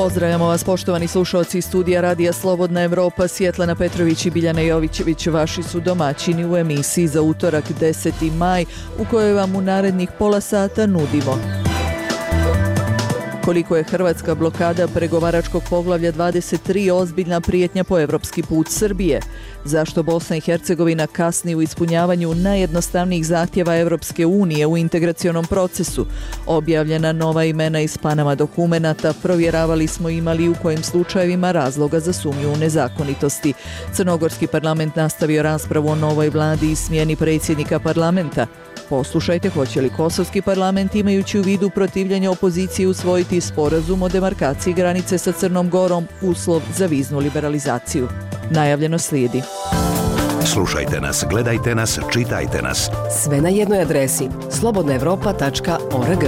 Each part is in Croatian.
Pozdravljamo vas poštovani slušalci iz studija Radija Slobodna Evropa. Svjetlana Petrović i Biljana Jovićević vaši su domaćini u emisiji za utorak 10. maj u kojoj vam u narednih pola sata nudimo koliko je hrvatska blokada pregovaračkog poglavlja 23 ozbiljna prijetnja po evropski put Srbije, zašto Bosna i Hercegovina kasni u ispunjavanju najjednostavnijih zahtjeva Evropske unije u integracionom procesu, objavljena nova imena iz Panama dokumenata, provjeravali smo imali u kojim slučajevima razloga za sumnju u nezakonitosti. Crnogorski parlament nastavio raspravu o novoj vladi i smjeni predsjednika parlamenta. Poslušajte hoće li kosovski parlament, imajući u vidu protivljenje opozicije, usvojiti sporazum o demarkaciji granice sa Crnom Gorom, uslov za viznu liberalizaciju. Najavljeno slijedi. Slušajte nas, gledajte nas, čitajte nas. Sve na jednoj adresi slobodnaevropa.org.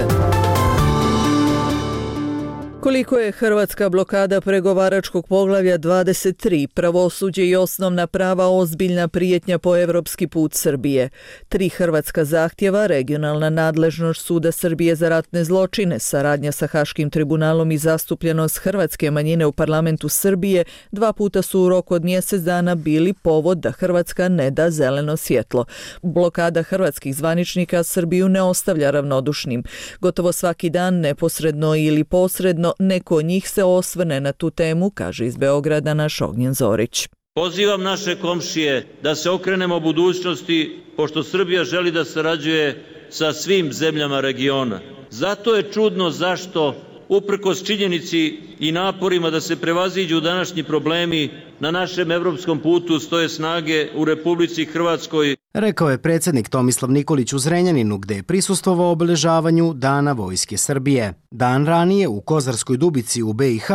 Koliko je hrvatska blokada pregovaračkog poglavlja 23, pravosuđe i osnovna prava ozbiljna prijetnja po evropski put Srbije? 3 hrvatska zahtjeva, regionalna nadležnost Suda Srbije za ratne zločine, saradnja sa Haškim tribunalom i zastupljenost hrvatske manjine u parlamentu Srbije 2 puta su u roku od mjesec dana bili povod da Hrvatska ne da zeleno svjetlo. Blokada hrvatskih zvaničnika Srbiju ne ostavlja ravnodušnim. Gotovo svaki dan, neposredno ili posredno, neko od njih se osvrne na tu temu, kaže iz Beograda naš Ognjen Zorić. Pozivam naše komšije da se okrenemo budućnosti, pošto Srbija želi da sarađuje sa svim zemljama regiona. Zato je čudno zašto, uprkos činjenici i naporima da se prevaziđu današnji problemi, na našem evropskom putu stoje snage u Republici Hrvatskoj. Rekao je predsjednik Tomislav Nikolić u Zrenjaninu, gdje je prisustvovao obeležavanju Dana Vojske Srbije. Dan ranije u Kozarskoj Dubici u BiH,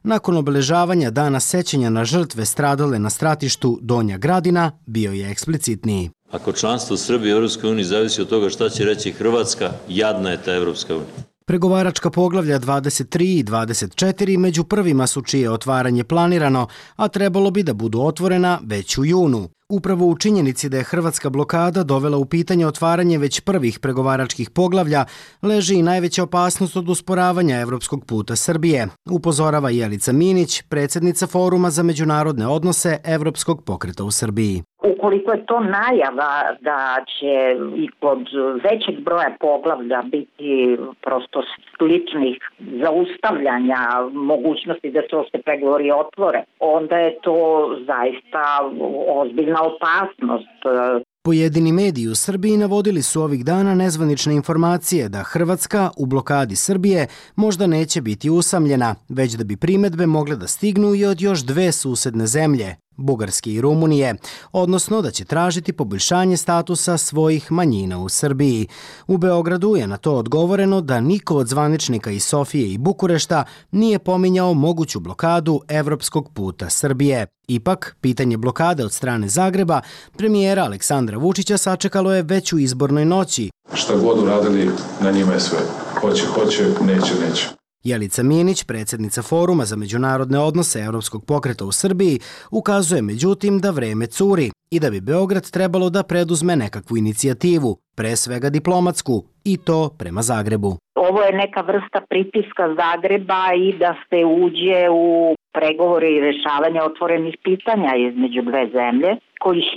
nakon obeležavanja Dana sećanja na žrtve stradale na stratištu Donja Gradina, bio je eksplicitniji. Ako članstvo Srbije u EU zavisi od toga šta će reći Hrvatska, jadna je ta EU. Pregovaračka poglavlja 23 i 24 među prvima su čije otvaranje planirano, a trebalo bi da budu otvorena već u junu. Upravo u činjenici da je hrvatska blokada dovela u pitanje otvaranje već prvih pregovaračkih poglavlja, leži i najveća opasnost od usporavanja evropskog puta Srbije, upozorava Jelica Minić, predsjednica Foruma za međunarodne odnose Evropskog pokreta u Srbiji. Ukoliko je to najava da će i kod većeg broja poglavlja biti prosto sličnih zaustavljanja mogućnosti da se pregovori otvore, onda je to zaista ozbiljna opasnost. Pojedini mediji u Srbiji navodili su ovih dana nezvanične informacije da Hrvatska u blokadi Srbije možda neće biti usamljena, već da bi primedbe mogle da stignu i od još 2 susedne zemlje, Bugarske i Rumunije, odnosno da će tražiti poboljšanje statusa svojih manjina u Srbiji. U Beogradu je na to odgovoreno da niko od zvaničnika iz Sofije i Bukurešta nije pominjao moguću blokadu evropskog puta Srbije. Ipak, pitanje blokade od strane Zagreba premijera Aleksandra Vučića sačekalo je već u izbornoj noći. Šta god uradili, na njima je sve. Hoće, neće. Jelica Minić, predsjednica Foruma za međunarodne odnose Evropskog pokreta u Srbiji, ukazuje međutim da vreme curi i da bi Beograd trebalo da preduzme nekakvu inicijativu, pre svega diplomatsku, i to prema Zagrebu. Ovo je neka vrsta pritiska Zagreba i da se uđe u pregovore i rješavanje otvorenih pitanja između 2 zemlje, kojih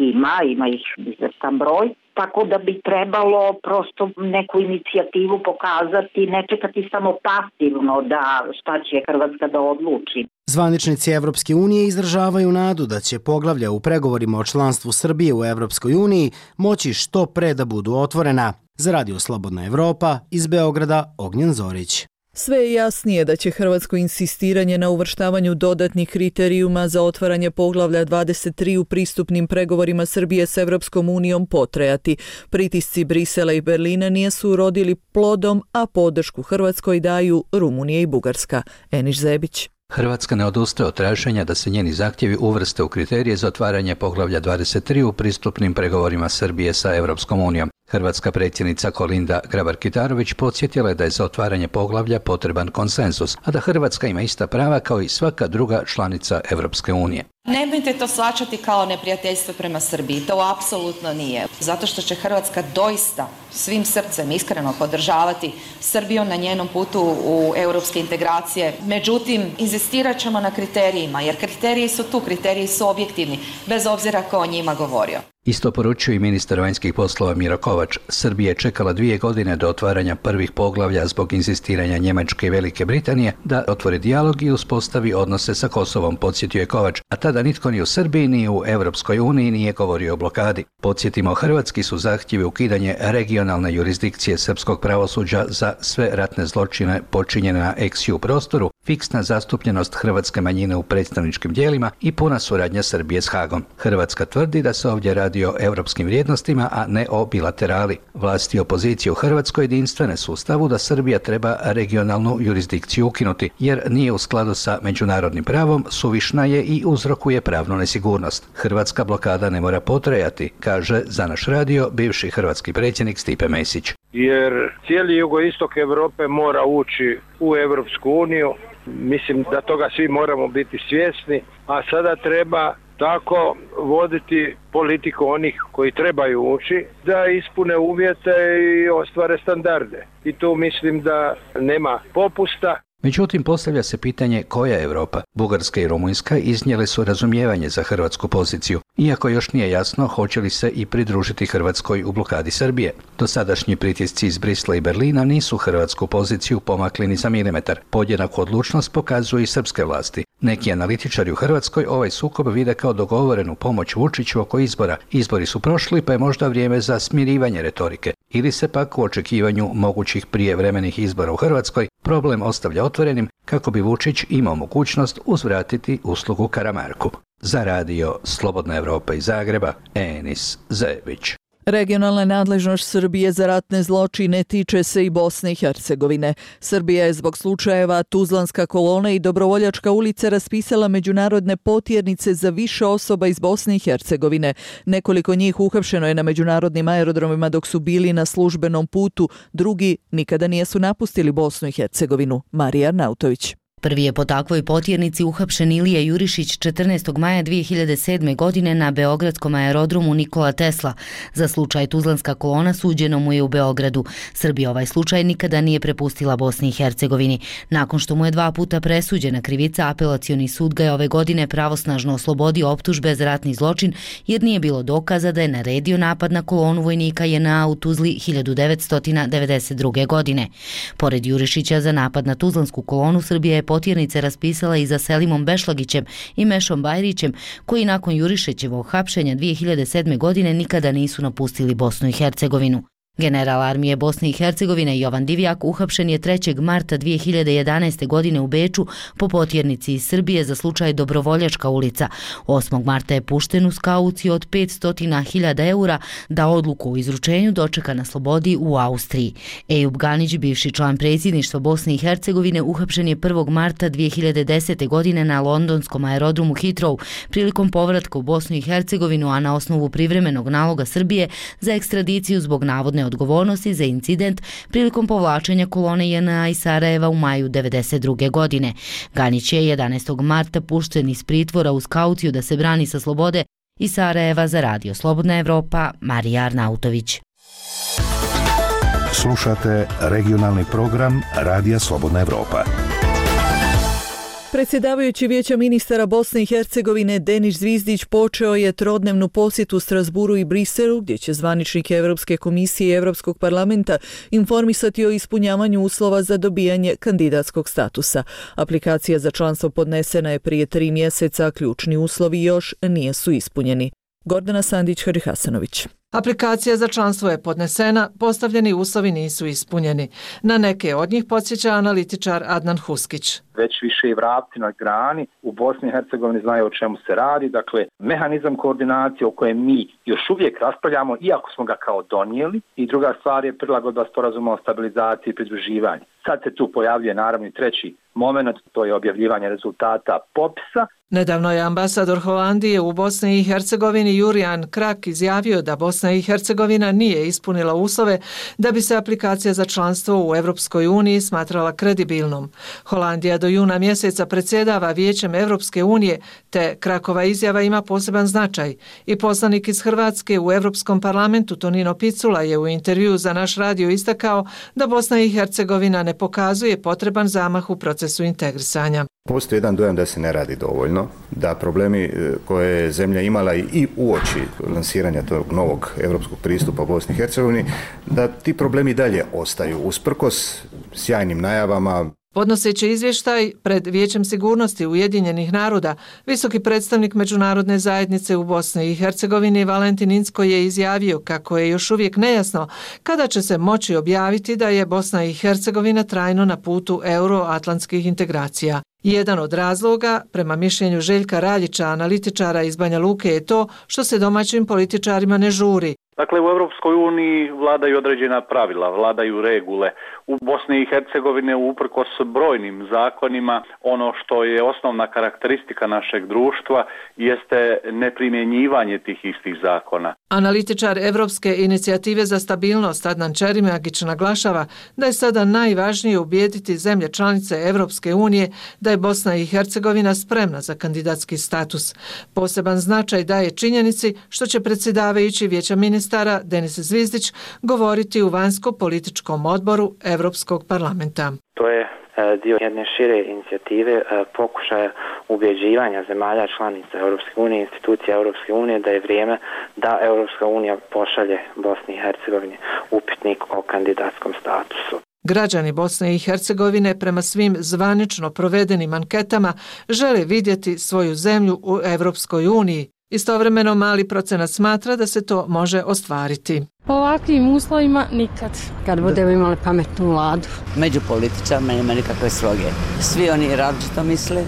ima ih izvestan broj. Tako da bi trebalo prosto neku inicijativu pokazati, ne čekati samo pasivno da šta će Hrvatska da odluči. Zvaničnici Evropske unije izražavaju nadu da će poglavlja u pregovorima o članstvu Srbije u Evropskoj uniji moći što pre da budu otvorena. Za Radio Slobodna Evropa iz Beograda Ognjen Zorić. Sve je jasnije da će hrvatsko insistiranje na uvrštavanju dodatnih kriterijuma za otvaranje poglavlja 23 u pristupnim pregovorima Srbije s Evropskom unijom potrajati. Pritisci Brisela i Berlina nisu urodili plodom, a podršku Hrvatskoj daju Rumunija i Bugarska. Eniš Zebić. Hrvatska ne odustaje od traženja da se njeni zahtjevi uvrste u kriterije za otvaranje poglavlja 23 u pristupnim pregovorima Srbije sa Evropskom unijom. Hrvatska predsjednica Kolinda Grabar-Kitarović podsjetila je da je za otvaranje poglavlja potreban konsenzus, a da Hrvatska ima ista prava kao i svaka druga članica Evropske unije. Nemojte to shvaćati kao neprijateljstvo prema Srbiji, to apsolutno nije. Zato što će Hrvatska doista svim srcem iskreno podržavati Srbiju na njenom putu u europske integracije. Međutim, inzistirat ćemo na kriterijima, jer kriteriji su tu, kriteriji su objektivni, bez obzira ko o njima govorio. Isto poručuje i ministar vanjskih poslova Miro Kovač. Srbija je čekala 2 godine do otvaranja prvih poglavlja zbog inzistiranja Njemačke i Velike Britanije da otvori dijalog i uspostavi odnose sa Kosovom, podsjetio je Kovač, a tada nitko ni u Srbiji ni u Europskoj uniji nije govorio o blokadi. Podsjetimo, hrvatski su zahtjevi ukidanje regionalne jurisdikcije srpskog pravosuđa za sve ratne zločine počinjene na ex-ju prostoru, fiksna zastupljenost hrvatske manjine u predstavničkim tijelima i puna suradnja Srbije s Hagom. Hrvatska tvrdi da se ovdje radi o europskim vrijednostima, a ne o bilaterali. Vlasti i opozicije u Hrvatskoj jedinstvene su u stavu da Srbija treba regionalnu jurisdikciju ukinuti, jer nije u skladu sa međunarodnim pravom, suvišna je i uzrokuje pravnu nesigurnost. Hrvatska blokada ne mora potrajati, kaže za naš radio bivši hrvatski predsjednik Stipe Mesić. Jer cijeli jugoistok Europe mora ući u Europsku uniju. Mislim da toga svi moramo biti svjesni, a sada treba tako voditi politiku onih koji trebaju ući da ispune uvjete i ostvare standarde. I tu mislim da nema popusta. Međutim, postavlja se pitanje koja je Europa. Bugarska i Rumunjska iznijele su razumijevanje za hrvatsku poziciju, iako još nije jasno hoće li se i pridružiti Hrvatskoj u blokadi Srbije. Dosadašnji pritisci iz Brisla i Berlina nisu hrvatsku poziciju pomakli ni za milimetar. Podjednaku odlučnost pokazuju i srpske vlasti. Neki analitičari u Hrvatskoj ovaj sukob vide kao dogovorenu pomoć Vučiću oko izbora. Izbori su prošli, pa je možda vrijeme za smirivanje retorike. Ili se pak u očekivanju mogućih prijevremenih izbora u Hrvatskoj problem ostavlja otvorenim kako bi Vučić imao mogućnost uzvratiti uslugu Karamarku. Za radio Slobodna Evropa iz Zagreba, Enis Zević. Regionalna nadležnost Srbije za ratne zločine tiče se i Bosne i Hercegovine. Srbija je zbog slučajeva Tuzlanska kolona i Dobrovoljačka ulica raspisala međunarodne potjernice za više osoba iz Bosne i Hercegovine. Nekoliko njih uhapšeno je na međunarodnim aerodromima dok su bili na službenom putu, drugi nikada nisu napustili Bosnu i Hercegovinu. Marija Arnautović. Prvi je po takvoj potjernici uhapšen Ilija Jurišić 14. maja 2007. godine na beogradskom aerodromu Nikola Tesla. Za slučaj Tuzlanska kolona suđeno mu je u Beogradu. Srbija ovaj slučaj nikada nije prepustila Bosni i Hercegovini. Nakon što mu je 2 puta presuđena krivica, apelacioni sud ga je ove godine pravosnažno oslobodio optužbe za ratni zločin jer nije bilo dokaza da je naredio napad na kolonu vojnika JNA u Tuzli 1992. godine. Pored Jurišića za napad na Tuzlansku kolonu, Srbija je potjernice raspisala i za Selimom Bešlagićem i Mešom Bajrićem, koji nakon Jurišićevog hapšenja 2007. godine nikada nisu napustili Bosnu i Hercegovinu. General armije Bosne i Hercegovine Jovan Divjak uhapšen je 3. marta 2011. godine u Beču po potjernici iz Srbije za slučaj Dobrovoljačka ulica. 8. marta je pušten uz kauciju od 500.000 eura da odluku o izručenju dočeka na slobodi u Austriji. Ejub Ganić, bivši član predsjedništva Bosne i Hercegovine, uhapšen je 1. marta 2010. godine na londonskom aerodromu Heathrow prilikom povratka u Bosnu i Hercegovinu, a na osnovu privremenog naloga Srbije za ekstradiciju zbog navodne odgovornosti za incident prilikom povlačenja kolone JNA iz Sarajeva u maju 1992. godine. Ganić je 11. marta pušten iz pritvora uz kauciju da se brani sa slobode iz Sarajeva. Za radio Slobodna Evropa, Marija Arnautović. Slušate regionalni program Radija Slobodna Evropa. Predsjedavajući Vijeća ministara Bosne i Hercegovine Denis Zvizdić počeo je trodnevnu posjetu Strasburu i Briselu, gdje će zvaničnike Europske komisije i Europskog parlamenta informisati o ispunjavanju uslova za dobijanje kandidatskog statusa. Aplikacija za članstvo podnesena je prije 3 mjeseca, a ključni uslovi još nisu ispunjeni. Gordana Sandić-Hadihasanović. Aplikacija za članstvo je podnesena, postavljeni uslovi nisu ispunjeni. Na neke od njih podsjeća analitičar Adnan Huskić. Već više i vrapci na grani u Bosni i Hercegovini znaju o čemu se radi. Dakle, mehanizam koordinacije o kojem mi još uvijek raspravljamo, iako smo ga kao donijeli. I druga stvar je prilagodba sporazuma o stabilizaciji i pridruživanju. Sad se tu pojavljuje naravno i treći moment, to je objavljivanje rezultata popisa Nedavno je ambasador Holandije u Bosni i Hercegovini Jurijan Krak izjavio da Bosna i Hercegovina nije ispunila uslove da bi se aplikacija za članstvo u Europskoj uniji smatrala kredibilnom. Holandija do juna mjeseca predsjedava Vijećem Europske unije, te Krakova izjava ima poseban značaj. I poslanik iz Hrvatske u Europskom parlamentu Tonino Picula je u intervjuu za naš radio istakao da Bosna i Hercegovina ne pokazuje potreban zamah u procesu integrisanja. Postoji jedan dojam da se ne radi dovoljno, da problemi koje je zemlja imala i uoči lansiranja tog novog europskog pristupa Bosni i Hercegovini, da ti problemi dalje ostaju usprkos sjajnim najavama. Podnoseći izvještaj pred Vijećem sigurnosti Ujedinjenih naroda, visoki predstavnik međunarodne zajednice u Bosni i Hercegovini Valentin Incko je izjavio kako je još uvijek nejasno kada će se moći objaviti da je Bosna i Hercegovina trajno na putu euroatlantskih integracija. Jedan od razloga, prema mišljenju Željka Raljića, analitičara iz Banja Luke, je to što se domaćim političarima ne žuri. Dakle, u Europskoj uniji vladaju određena pravila, vladaju regule. U Bosni i Hercegovine uprkos brojnim zakonima, ono što je osnovna karakteristika našeg društva jeste neprimjenjivanje tih istih zakona. Analitičar Evropske inicijative za stabilnost Adnan Čerimagić naglašava da je sada najvažnije ubijediti zemlje članice Evropske unije da je Bosna i Hercegovina spremna za kandidatski status. Poseban značaj daje činjenici što će predsjedavajući Vijeća ministara Denis Zvizdić govoriti u vanjsko-političkom odboru Europskog parlamenta. To je dio jedne šire inicijative pokušaja ubjeđivanja zemalja članica Europske unije, institucija Europske unije da je vrijeme da Europska unija pošalje Bosni i Hercegovini upitnik o kandidatskom statusu. Građani Bosne i Hercegovine prema svim zvanično provedenim anketama žele vidjeti svoju zemlju u Europskoj uniji. Istovremeno mali procenat smatra da se to može ostvariti. Po ovakvim uslovima nikad. Kad budemo imali pametnu vladu. Među političarima nema nikakve sloge. Svi oni različito misle,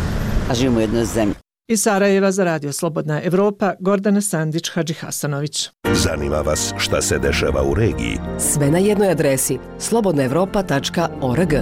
a živimo u jednoj zemlji. Iz Sarajeva za Radio Slobodna Evropa, Gordana Sandić, Hadžihasanović. Zanima vas šta se dešava u regiji? Sve na jednoj adresi slobodnaevropa.org.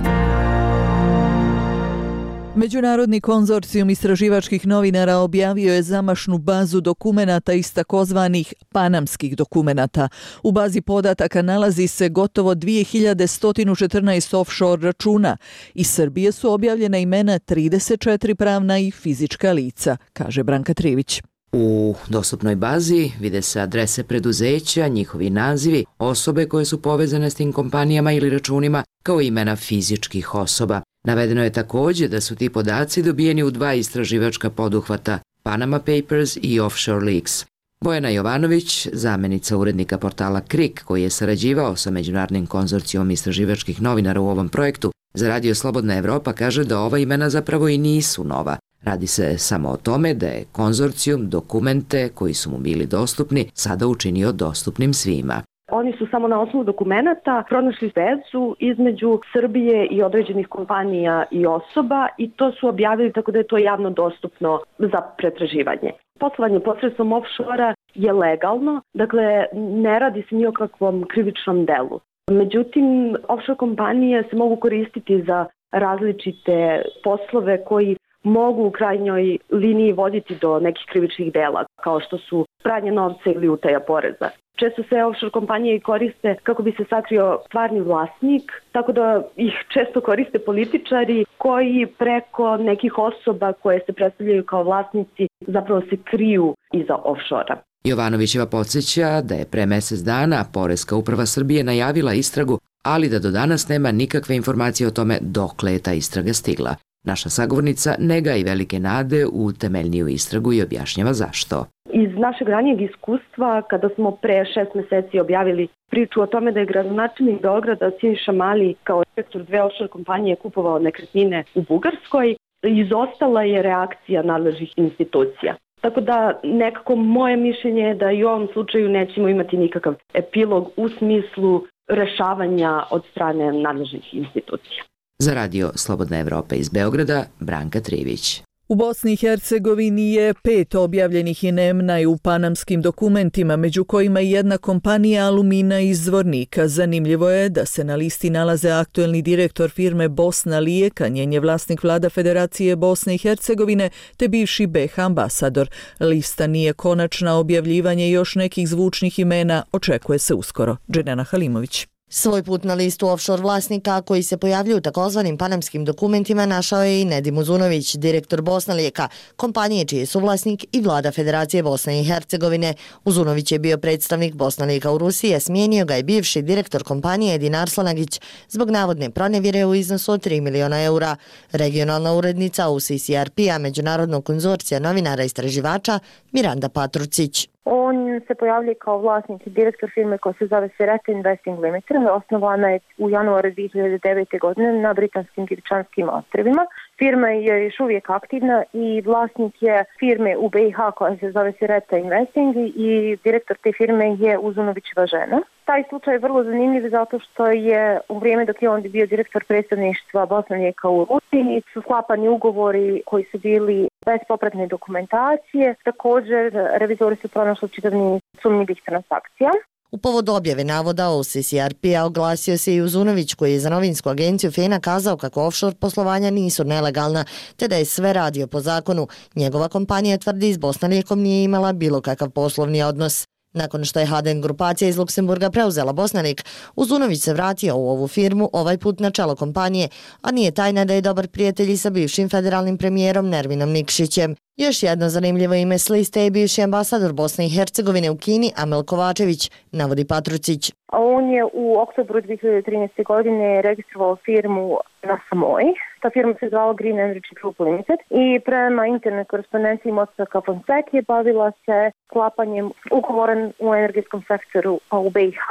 Međunarodni konzorcijum istraživačkih novinara objavio je zamašnu bazu dokumenata iz takozvanih panamskih dokumenata. U bazi podataka nalazi se gotovo 2114 offshore računa. Iz Srbije su objavljena imena 34 pravna i fizička lica, kaže Branka Trivić. U dostupnoj bazi vide se adrese preduzeća, njihovi nazivi, osobe koje su povezane s tim kompanijama ili računima, kao imena fizičkih osoba. Navedeno je također da su ti podaci dobijeni u 2 istraživačka poduhvata, Panama Papers i Offshore Leaks. Bojana Jovanović, zamjenica urednika portala KRIK, koji je sarađivao sa Međunarodnim konzorcijom istraživačkih novinara u ovom projektu, za Radio Slobodna Evropa kaže da ova imena zapravo i nisu nova. Radi se samo o tome da je konzorcijum dokumente koji su mu bili dostupni sada učinio dostupnim svima. Oni su samo na osnovu dokumenata pronašli vezu između Srbije i određenih kompanija i osoba i to su objavili tako da je to javno dostupno za pretraživanje. Poslovanje posredstvom offshore je legalno, dakle ne radi se ni o kakvom krivičnom delu. Međutim, offshore kompanije se mogu koristiti za različite poslove koji mogu u krajnjoj liniji voditi do nekih krivičnih dela, kao što su pranje novca ili utaja poreza. Često se offshore kompanije koriste kako bi se sakrio stvarni vlasnik, tako da ih često koriste političari koji preko nekih osoba koje se predstavljaju kao vlasnici zapravo se kriju iza offshore-a. Jovanovićeva podsjeća da je pre mjesec dana Poreska uprava Srbije najavila istragu, ali da do danas nema nikakve informacije o tome dokle je ta istraga stigla. Naša sagovornica ne gaji velike nade u temeljniju istragu i objašnjava zašto. Iz našeg ranijeg iskustva, kada smo pre 6 mjeseci objavili priču o tome da je gradonačelnik Beograda Siniša Mali kao direktor 2 offshore kompanije kupovao nekretnine u Bugarskoj, izostala je reakcija nadležnih institucija. Tako da nekako moje mišljenje je da i u ovom slučaju nećemo imati nikakav epilog u smislu rešavanja od strane nadležnih institucija. Za Radio Slobodna Evropa iz Beograda, Branka Trivić. U Bosni i Hercegovini je 5 objavljenih imena u panamskim dokumentima, među kojima i jedna kompanija Alumina iz Zvornika. Zanimljivo je da se na listi nalaze aktuelni direktor firme Bosna Lijeka, njen je vlasnik vlada Federacije Bosne i Hercegovine, te bivši BiH ambasador. Lista nije konačna, objavljivanje još nekih zvučnih imena očekuje se uskoro. Dženana Halimović. Svoj put na listu offshore vlasnika koji se pojavljuju u takozvanim panamskim dokumentima našao je i Nedim Uzunović, direktor Bosna Lijeka, kompanije čiji je suvlasnik i vlada Federacije Bosne i Hercegovine. Uzunović je bio predstavnik Bosna Lijeka u Rusiji, a smijenio ga je bivši direktor kompanije Edin Arslanagić zbog navodne pronevjere u iznosu od 3 miliona eura. Regionalna urednica UCCRP-a Međunarodnog konzorcija novinara i istraživača Miranda Patrucić. On se pojavljuje kao vlasnik i direktor firme koja se zove Sereta Investing Limited. Osnovana je u januaru 2009. godine na Britanskim Diričanskim ostrvima. Firma je još uvijek aktivna i vlasnik je firme u BiH koja se zove Sereta Investing i direktor te firme je Uzunovićeva žena. Taj slučaj je vrlo zanimljiv zato što je u vrijeme dok je on bio direktor predstavništva Bosna Lijeka u Rusiji su sklapani ugovori koji su bili bez popratne dokumentacije. Također, revizori su pronašli čitav niz sumnjivih transakcija. U povodu objave navoda UCCRP-a oglasio se i Uzunović koji je za novinsku agenciju FENA kazao kako offshore poslovanja nisu nelegalna, te da je sve radio po zakonu. Njegova kompanija tvrdi s Bosna Lijekom nije imala bilo kakav poslovni odnos. Nakon što je Haden grupacija iz Luksemburga preuzela Bosnanik, Uzunović se vratio u ovu firmu, ovaj put na čelo kompanije, a nije tajna da je dobar prijatelj i sa bivšim federalnim premijerom Nervinom Nikšićem. Još jedno zanimljivo ime s liste je bivši ambasador Bosne i Hercegovine u Kini Amel Kovačević, navodi Patrucić. On je u oktobru 2013. godine registrovao firmu na Samoji. Ta firma se zvala Green Energy Group Limited i prema internet korespondenciji Mosaka Fonseca bavila se sklapanjem ugovora u energetskom sektoru u BiH.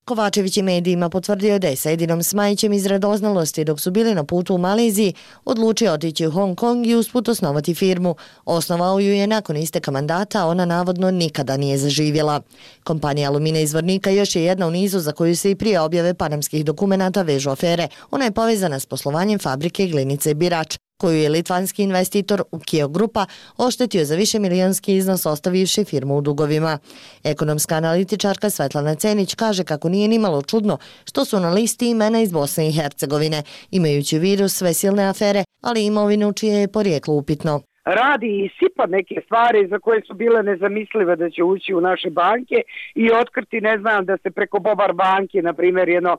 Kovačević i medijima potvrdio da je sa Edinom Smajićem iz radoznalosti dok su bili na putu u Maleziji odlučio otići u Hong Kong i usput osnovati firmu. Osnovao ju je nakon isteka mandata, ona navodno nikada nije zaživjela. Kompanija Alumina iz Zvornika još je jedna u nizu za koju se i prije objave panamskih dokumenata vežu afere. Ona je povezana s poslovanjem fabrike Glinice Birač, koju je litvanski investitor Ukio Grupa oštetio za višemilijonski iznos ostavivši firmu u dugovima. Ekonomska analitičarka Svetlana Cenić kaže kako nije nimalo čudno što su na listi imena iz Bosne i Hercegovine, imajući u vidu sve silne afere, ali imovinu čije je porijeklo upitno. Radi i sipa neke stvari za koje su bile nezamislive da će ući u naše banke i otkriti, ne znam, da se preko Bobar banke, na primjer, 1004,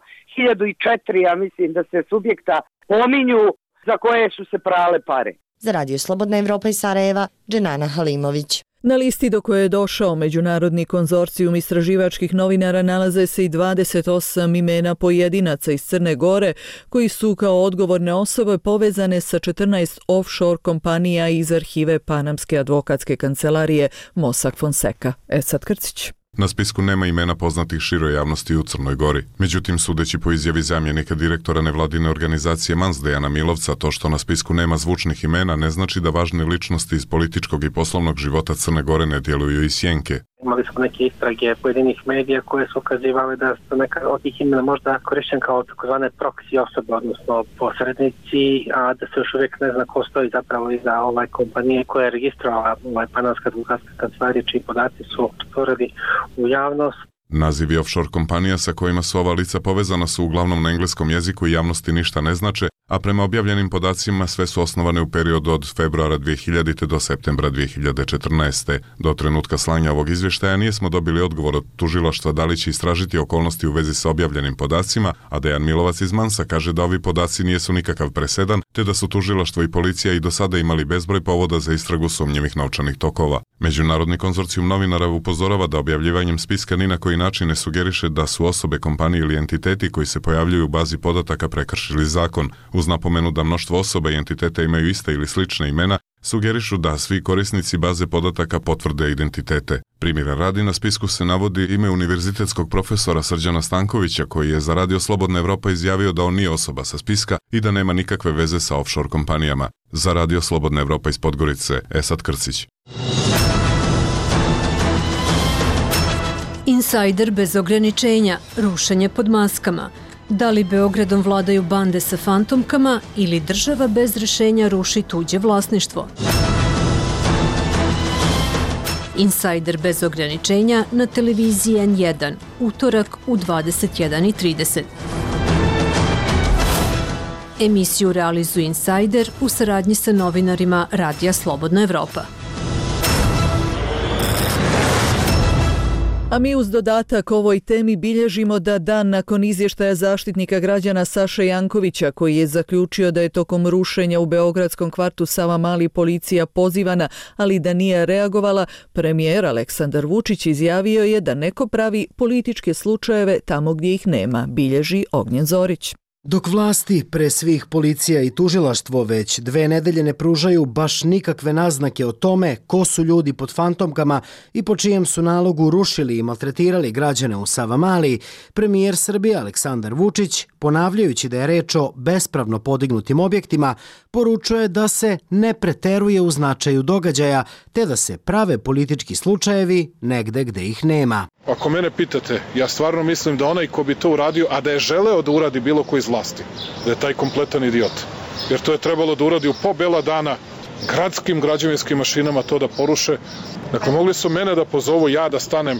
ja mislim da se subjekta pominju za koje su se prale pare. Za Radio Slobodna Evropa iz Sarajeva, Dženana Halimović. Na listi do koje je došao Međunarodni konzorcijum istraživačkih novinara nalaze se i 28 imena pojedinaca iz Crne Gore koji su kao odgovorne osobe povezane sa 14 offshore kompanija iz arhive Panamske advokatske kancelarije Mossack Fonseca. Esad Krcić. Na spisku nema imena poznatih široj javnosti u Crnoj Gori. Međutim, sudeći po izjavi zamjenika direktora nevladine organizacije Mans Dejana Milovca, to što na spisku nema zvučnih imena ne znači da važne ličnosti iz političkog i poslovnog života Crne Gore ne djeluju iz sjenke. Imali smo neke istrage pojedinih medija koje su ukazivale da su neka od tih imena možda korišćen kao takozvane proxy osobe, odnosno posrednici, a da se još uvijek ne zna ko stoji zapravo iza kompanije koja je registrovala Panamska advokatska kancelarija, čiji podaci su stvorili u javnost. Nazivi offshore kompanija sa kojima su ova lica povezana su uglavnom na engleskom jeziku i javnosti ništa ne znače, a prema objavljenim podacima sve su osnovane u periodu od februara 2000. do septembra 2014. Do trenutka slanja ovog izvještaja nismo dobili odgovor od tužilaštva da li će istražiti okolnosti u vezi sa objavljenim podacima, a Dejan Milovac iz Mansa kaže da ovi podaci nijesu nikakav presedan, te da su tužilaštvo i policija i do sada imali bezbroj povoda za istragu sumnjivih novčanih tokova. Međunarodni konzorcijum novinara upozorava da objavljivanjem spiska ni na koji način ne sugeriše da su osobe, kompanije ili entiteti koji se pojavljuju u bazi podataka prekršili zakon. Uz napomenu da mnoštvo osoba i entiteta imaju iste ili slične imena, sugerišu da svi korisnici baze podataka potvrde identitete. Primjera radi, na spisku se navodi ime univerzitetskog profesora Srđana Stankovića koji je za Radio Slobodna Evropa izjavio da on nije osoba sa spiska i da nema nikakve veze sa offshore kompanijama. Za Radio Slobodna Evropa iz Podgorice, Esad Krcić. Insajder bez ograničenja, rušenje pod maskama. Da li Beogradom vladaju bande sa fantomkama ili država bez rešenja ruši tuđe vlasništvo? Insider bez ograničenja na televiziji N1, utorak u 21:30. Emisiju realizuje Insider u saradnji sa novinarima Radija Slobodna Evropa. A mi uz dodatak ovoj temi bilježimo da dan nakon izvještaja zaštitnika građana Saše Jankovića, koji je zaključio da je tokom rušenja u beogradskom kvartu Savamali policija pozivana, ali da nije reagovala, premijer Aleksandar Vučić izjavio je da neko pravi političke slučajeve tamo gdje ih nema, bilježi Ognjen Zorić. Dok vlasti, pre svih policija i tužilaštvo, već 2 nedelje ne pružaju baš nikakve naznake o tome ko su ljudi pod fantomkama i po čijem su nalogu rušili i maltretirali građane u Savamali, premijer Srbije Aleksandar Vučić, ponavljajući da je reč o bespravno podignutim objektima, poručuje da se ne preteruje u značaju događaja, te da se prave politički slučajevi negde gde ih nema. Ako mene pitate, ja stvarno mislim da onaj ko bi to uradio, a da je želeo da uradi bilo ko iz vlasti, da je taj kompletan idiot. Jer to je trebalo da uradi u po bela dana gradskim građevinskim mašinama to da poruše. Dakle, mogli su mene da pozovu, ja da stanem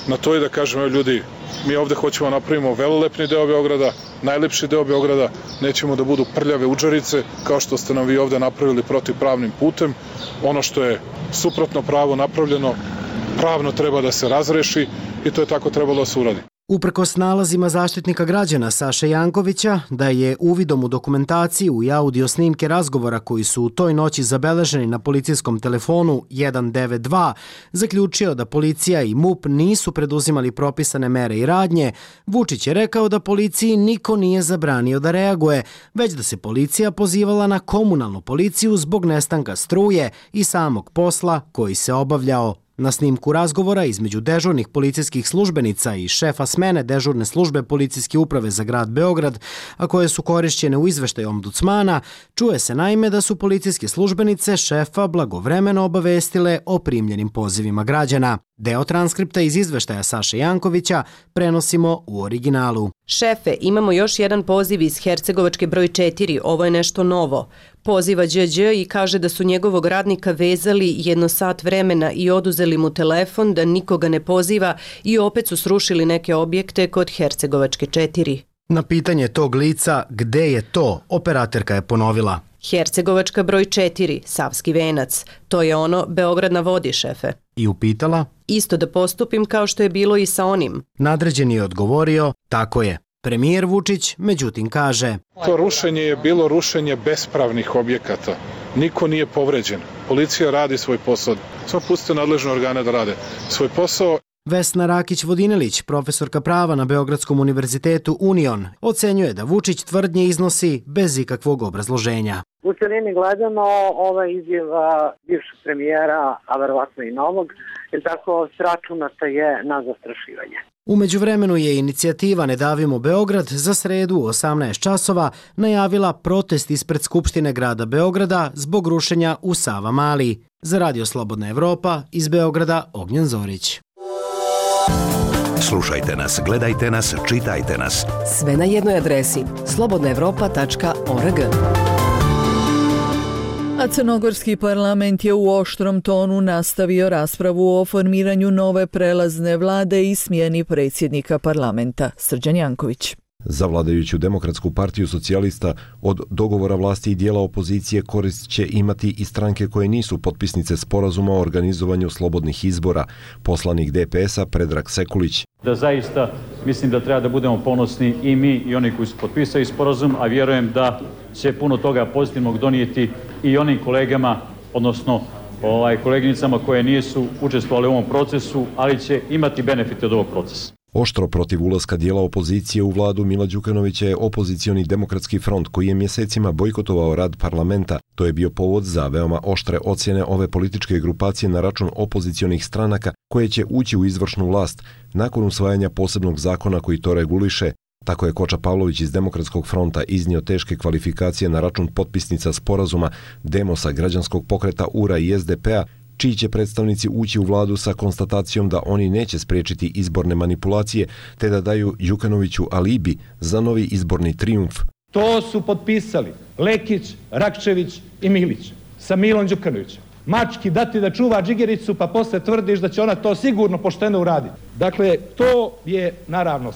na to i da kažem, evo ljudi, mi ovde hoćemo napravimo velelepni deo Beograda, najlepši deo Beograda, nećemo da budu prljave udžerice, kao što ste nam vi ovde napravili protivpravnim putem. Ono što je suprotno pravo napravljeno, pravno treba da se razreši i to je tako trebalo da se uradi. Uprkos nalazima zaštitnika građana Saše Jankovića da je uvidom u dokumentaciju i audio snimke razgovora koji su u toj noći zabeleženi na policijskom telefonu 192 zaključio da policija i MUP nisu preduzimali propisane mere i radnje, Vučić je rekao da policiji niko nije zabranio da reaguje, već da se policija pozivala na komunalnu policiju zbog nestanka struje i samog posla koji se obavljao. Na snimku razgovora između dežurnih policijskih službenica i šefa smene dežurne službe policijske uprave za grad Beograd, a koje su korišćene u izveštaju ombudsmana, čuje se naime da su policijske službenice šefa blagovremeno obavestile o primljenim pozivima građana. Deo transkripta iz izveštaja Saše Jankovića prenosimo u originalu. Šefe, imamo još jedan poziv iz Hercegovačke broj 4, ovo je nešto novo. Poziva Đ i kaže da su njegovog radnika vezali 1 sat vremena i oduzeli mu telefon, da nikoga ne poziva i opet su srušili neke objekte kod Hercegovačke 4. Na pitanje tog lica gde je to, operaterka je ponovila. Hercegovačka broj 4, Savski venac. To je ono, Beograd na vodi, šefe. I upitala? Isto da postupim kao što je bilo i sa onim. Nadređeni je odgovorio, tako je. Premijer Vučić, međutim, kaže: To rušenje je bilo rušenje bespravnih objekata. Niko nije povređen. Policija radi svoj posao. Samo pustite nadležne organe da rade svoj posao. Vesna Rakić-Vodinelić, profesorka prava na Beogradskom univerzitetu Union, ocenjuje da Vučić tvrdnje iznosi bez ikakvog obrazloženja. U celini gledano, ova izjava bivšeg premijera, a verovatno i novog, jer tako sračunata je na zastrašivanje. U međuvremenu je inicijativa Ne davimo Beograd za sredu u 18 časova najavila protest ispred Skupštine grada Beograda zbog rušenja u Savamali. Za Radio Slobodna Evropa iz Beograda Ognjen Zorić. Slušajte nas, gledajte nas, čitajte nas. Sve na jednoj adresi slobodnaevropa.org. A crnogorski parlament je u oštrom tonu nastavio raspravu o formiranju nove prelazne vlade i smjeni predsjednika parlamenta. Srđan Janković. Za vladajuću Demokratsku partiju socijalista od dogovora vlasti i dijela opozicije korist će imati i stranke koje nisu potpisnice sporazuma o organizovanju slobodnih izbora. Poslanik DPS-a Predrag Sekulić. Da zaista mislim da treba da budemo ponosni i mi i oni koji su potpisali sporazum, a vjerujem da će puno toga pozitivnog donijeti i onim kolegama, odnosno koleginicama koje nisu učestvovali u ovom procesu, ali će imati benefite od ovog procesa. Oštro protiv ulaska dijela opozicije u vladu Mila Đukanovića je opozicioni demokratski front koji je mjesecima bojkotovao rad parlamenta. To je bio povod za veoma oštre ocjene ove političke grupacije na račun opozicionih stranaka koje će ući u izvršnu vlast nakon usvajanja posebnog zakona koji to reguliše. Tako je Koča Pavlović iz Demokratskog fronta iznio teške kvalifikacije na račun potpisnica sporazuma Demosa, Građanskog pokreta URA i SDP-a, čiji će predstavnici ući u vladu sa konstatacijom da oni neće spriječiti izborne manipulacije te da daju Đukanoviću alibi za novi izborni trijumf. To su potpisali Lekić, Rakčević i Milić sa Milom Đukanovićem. Mački dati da čuva džigericu pa posle tvrdiš da će ona to sigurno pošteno uraditi. Dakle, to je naravno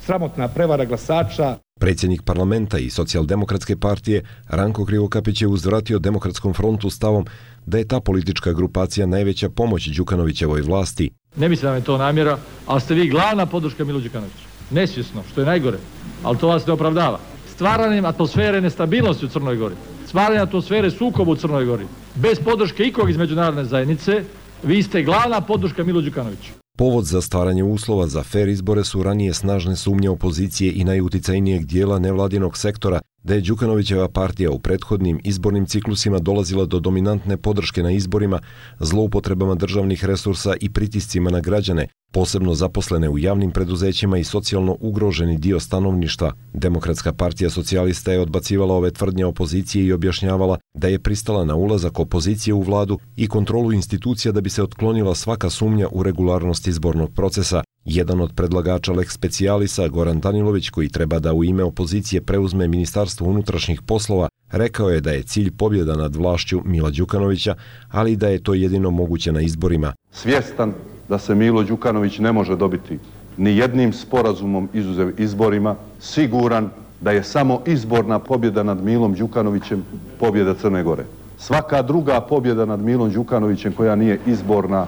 sramotna prevara glasača. Predsjednik parlamenta i Socijaldemokratske partije Ranko Krivokapić je uzvratio Demokratskom frontu stavom da je ta politička grupacija najveća pomoć Đukanovićevoj vlasti. Ne mislim da je to namjera, ali ste vi glavna podrška Milu Đukanoviću. Nesvjesno, što je najgore, ali to vas ne opravdava. Stvaranjem atmosfere nestabilnosti u Crnoj Gori, stvaranjem atmosfere sukoba u Crnoj Gori, bez podrške ikog iz međunarodne zajednice, vi ste glavna podrška Milu Đukanoviću. Povod za stvaranje uslova za fer izbore su ranije snažne sumnje opozicije i najuticajnijeg dijela nevladinog sektora da je Đukanovićeva partija u prethodnim izbornim ciklusima dolazila do dominantne podrške na izborima, zloupotrebama državnih resursa i pritiscima na građane, posebno zaposlene u javnim preduzećima i socijalno ugroženi dio stanovništva. Demokratska partija socijalista je odbacivala ove tvrdnje opozicije i objašnjavala da je pristala na ulazak opozicije u vladu i kontrolu institucija da bi se otklonila svaka sumnja u regularnost izbornog procesa. Jedan od predlagača Lex Specialisa, Goran Danilović, koji treba da u ime opozicije preuzme Ministarstvo unutrašnjih poslova, rekao je da je cilj pobjeda nad vlašću Mila Đukanovića, ali da je to jedino moguće na izborima. Svjestan da se Milo Đukanović ne može dobiti ni jednim sporazumom izuzev izborima, siguran da je samo izborna pobjeda nad Milom Đukanovićem pobjeda Crne Gore. Svaka druga pobjeda nad Milom Đukanovićem koja nije izborna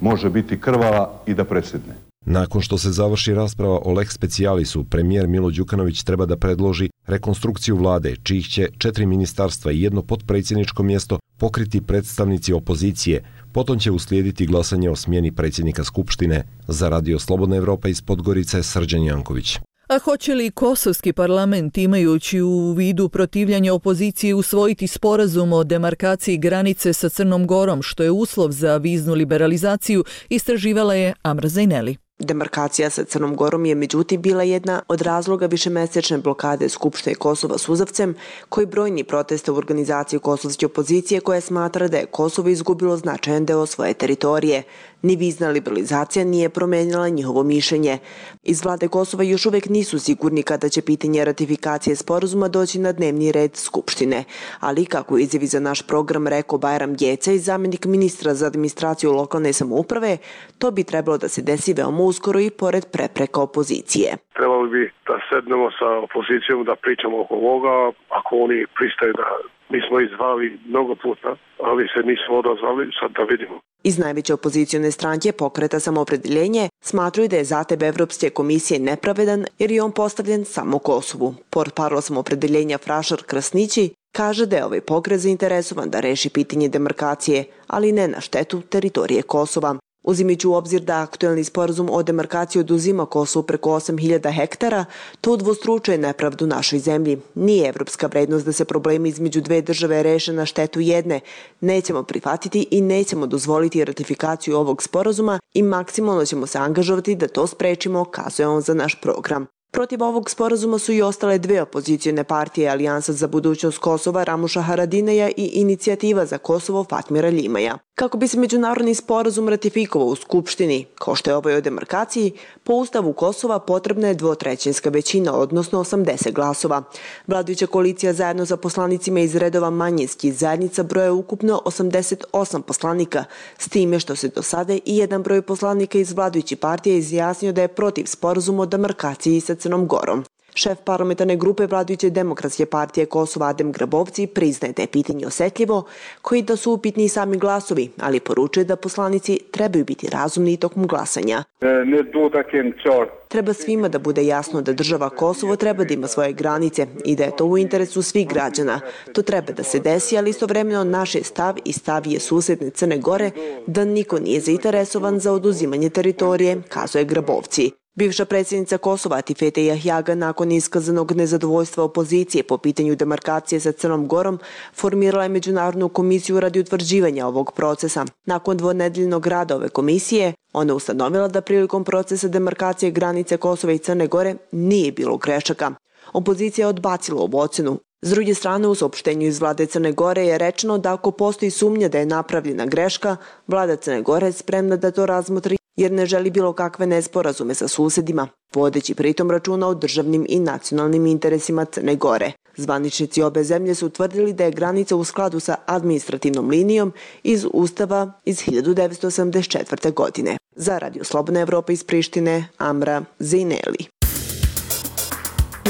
može biti krvava i da presjedne. Nakon što se završi rasprava o Lex Specialisu, premijer Milo Đukanović treba da predloži rekonstrukciju vlade, čijih će 4 ministarstva i 1 potpredsjedničko mjesto pokriti predstavnici opozicije. Potom će uslijediti glasanje o smjeni predsjednika Skupštine. Za Radio Slobodna Evropa iz Podgorice, Srđan Janković. A hoće li kosovski parlament, imajući u vidu protivljanje opozicije, usvojiti sporazum o demarkaciji granice sa Crnom Gorom, što je uslov za viznu liberalizaciju, istraživala je Amra Zajneli. Demarkacija sa Crnom Gorom je međutim bila jedna od razloga višemesečne blokade Skupštine Kosova suzavcem, koji brojni proteste u organizaciji kosovske opozicije koja smatra da je Kosovo izgubilo značajan deo svoje teritorije. Ni vizna liberalizacija nije promenila njihovo mišljenje. Iz vlade Kosova još uvijek nisu sigurni kada će pitanje ratifikacije sporazuma doći na dnevni red Skupštine. Ali, kako izjavi za naš program rekao Bajram Geca i zamjenik ministra za administraciju lokalne samouprave, to bi trebalo da se desi veoma uskoro i pored prepreka opozicije. Trebalo bi da sednemo sa opozicijom da pričamo oko ovoga, ako oni pristaju da mi smo izvali mnogo puta, ali se nismo odazvali, sad da vidimo. Iz najveće opozicijone stranke Pokreta Samoopredjeljenje smatruju da je zateb Evropske komisije nepravedan jer je on postavljen samo Kosovu. Portparol Samoopredjeljenja Frašar Krasnići kaže da je ovaj pokret zainteresovan da reši pitanje demarkacije, ali ne na štetu teritorije Kosova. Uzimajući u obzir da aktuelni sporazum o demarkaciji oduzima Kosovu preko 8.000 hektara, to udvostručuje nepravdu našoj zemlji. Nije evropska vrednost da se problemi između dve države reše na štetu jedne. Nećemo prihvatiti i nećemo dozvoliti ratifikaciju ovog sporazuma i maksimalno ćemo se angažovati da to sprečimo, kazuje on za naš program. Protiv ovog sporazuma su i ostale dve opozicijone partije, Alijansa za budućnost Kosova Ramuša Haradineja i Inicijativa za Kosovo Fatmira Ljimaja. Kako bi se međunarodni sporazum ratifikovao u Skupštini, kao što je ovaj o demarkaciji, po Ustavu Kosova potrebna je 2/3 većina, odnosno 80 glasova. Vladajuća koalicija zajedno sa poslanicima iz redova manjinskih zajednica broje ukupno 88 poslanika, s time što se do sada i jedan broj poslanika iz vladajuće partije izjasnio da je protiv sporazuma o demarkaciji sa Crnom Gorom. Šef parlamentarne grupe vladajuće Demokratske partije Kosova Adem Grabovci priznaje da je pitanje osjetljivo, koji da su upitni sami glasovi, ali poručuje da poslanici trebaju biti razumni tokom glasanja. Treba svima da bude jasno da država Kosovo treba da ima svoje granice i da je to u interesu svih građana. To treba da se desi, ali istovremeno naš je stav i stav je susjedne Crne Gore da niko nije zainteresovan za oduzimanje teritorije, kazuje Grabovci. Bivša predsjednica Kosova Atifete Jahjaga nakon iskazanog nezadovoljstva opozicije po pitanju demarkacije sa Crnom Gorom formirala je međunarodnu komisiju radi utvrđivanja ovog procesa. Nakon dvonedeljnog rada ove komisije, ona ustanovila da prilikom procesa demarkacije granice Kosova i Crne Gore nije bilo grešaka. Opozicija je odbacila ovu ocenu. S druge strane, u saopštenju iz vlade Crne Gore je rečeno da ako postoji sumnja da je napravljena greška, vlada Crne Gore je spremna da to razmotri jer ne želi bilo kakve nesporazume sa susedima, vodeći pritom računa o državnim i nacionalnim interesima Crne Gore. Zvaničnici obe zemlje su utvrdili da je granica u skladu sa administrativnom linijom iz Ustava iz 1984. godine. Za Radio Slobodna Evropa iz Prištine, Amra Zejneli.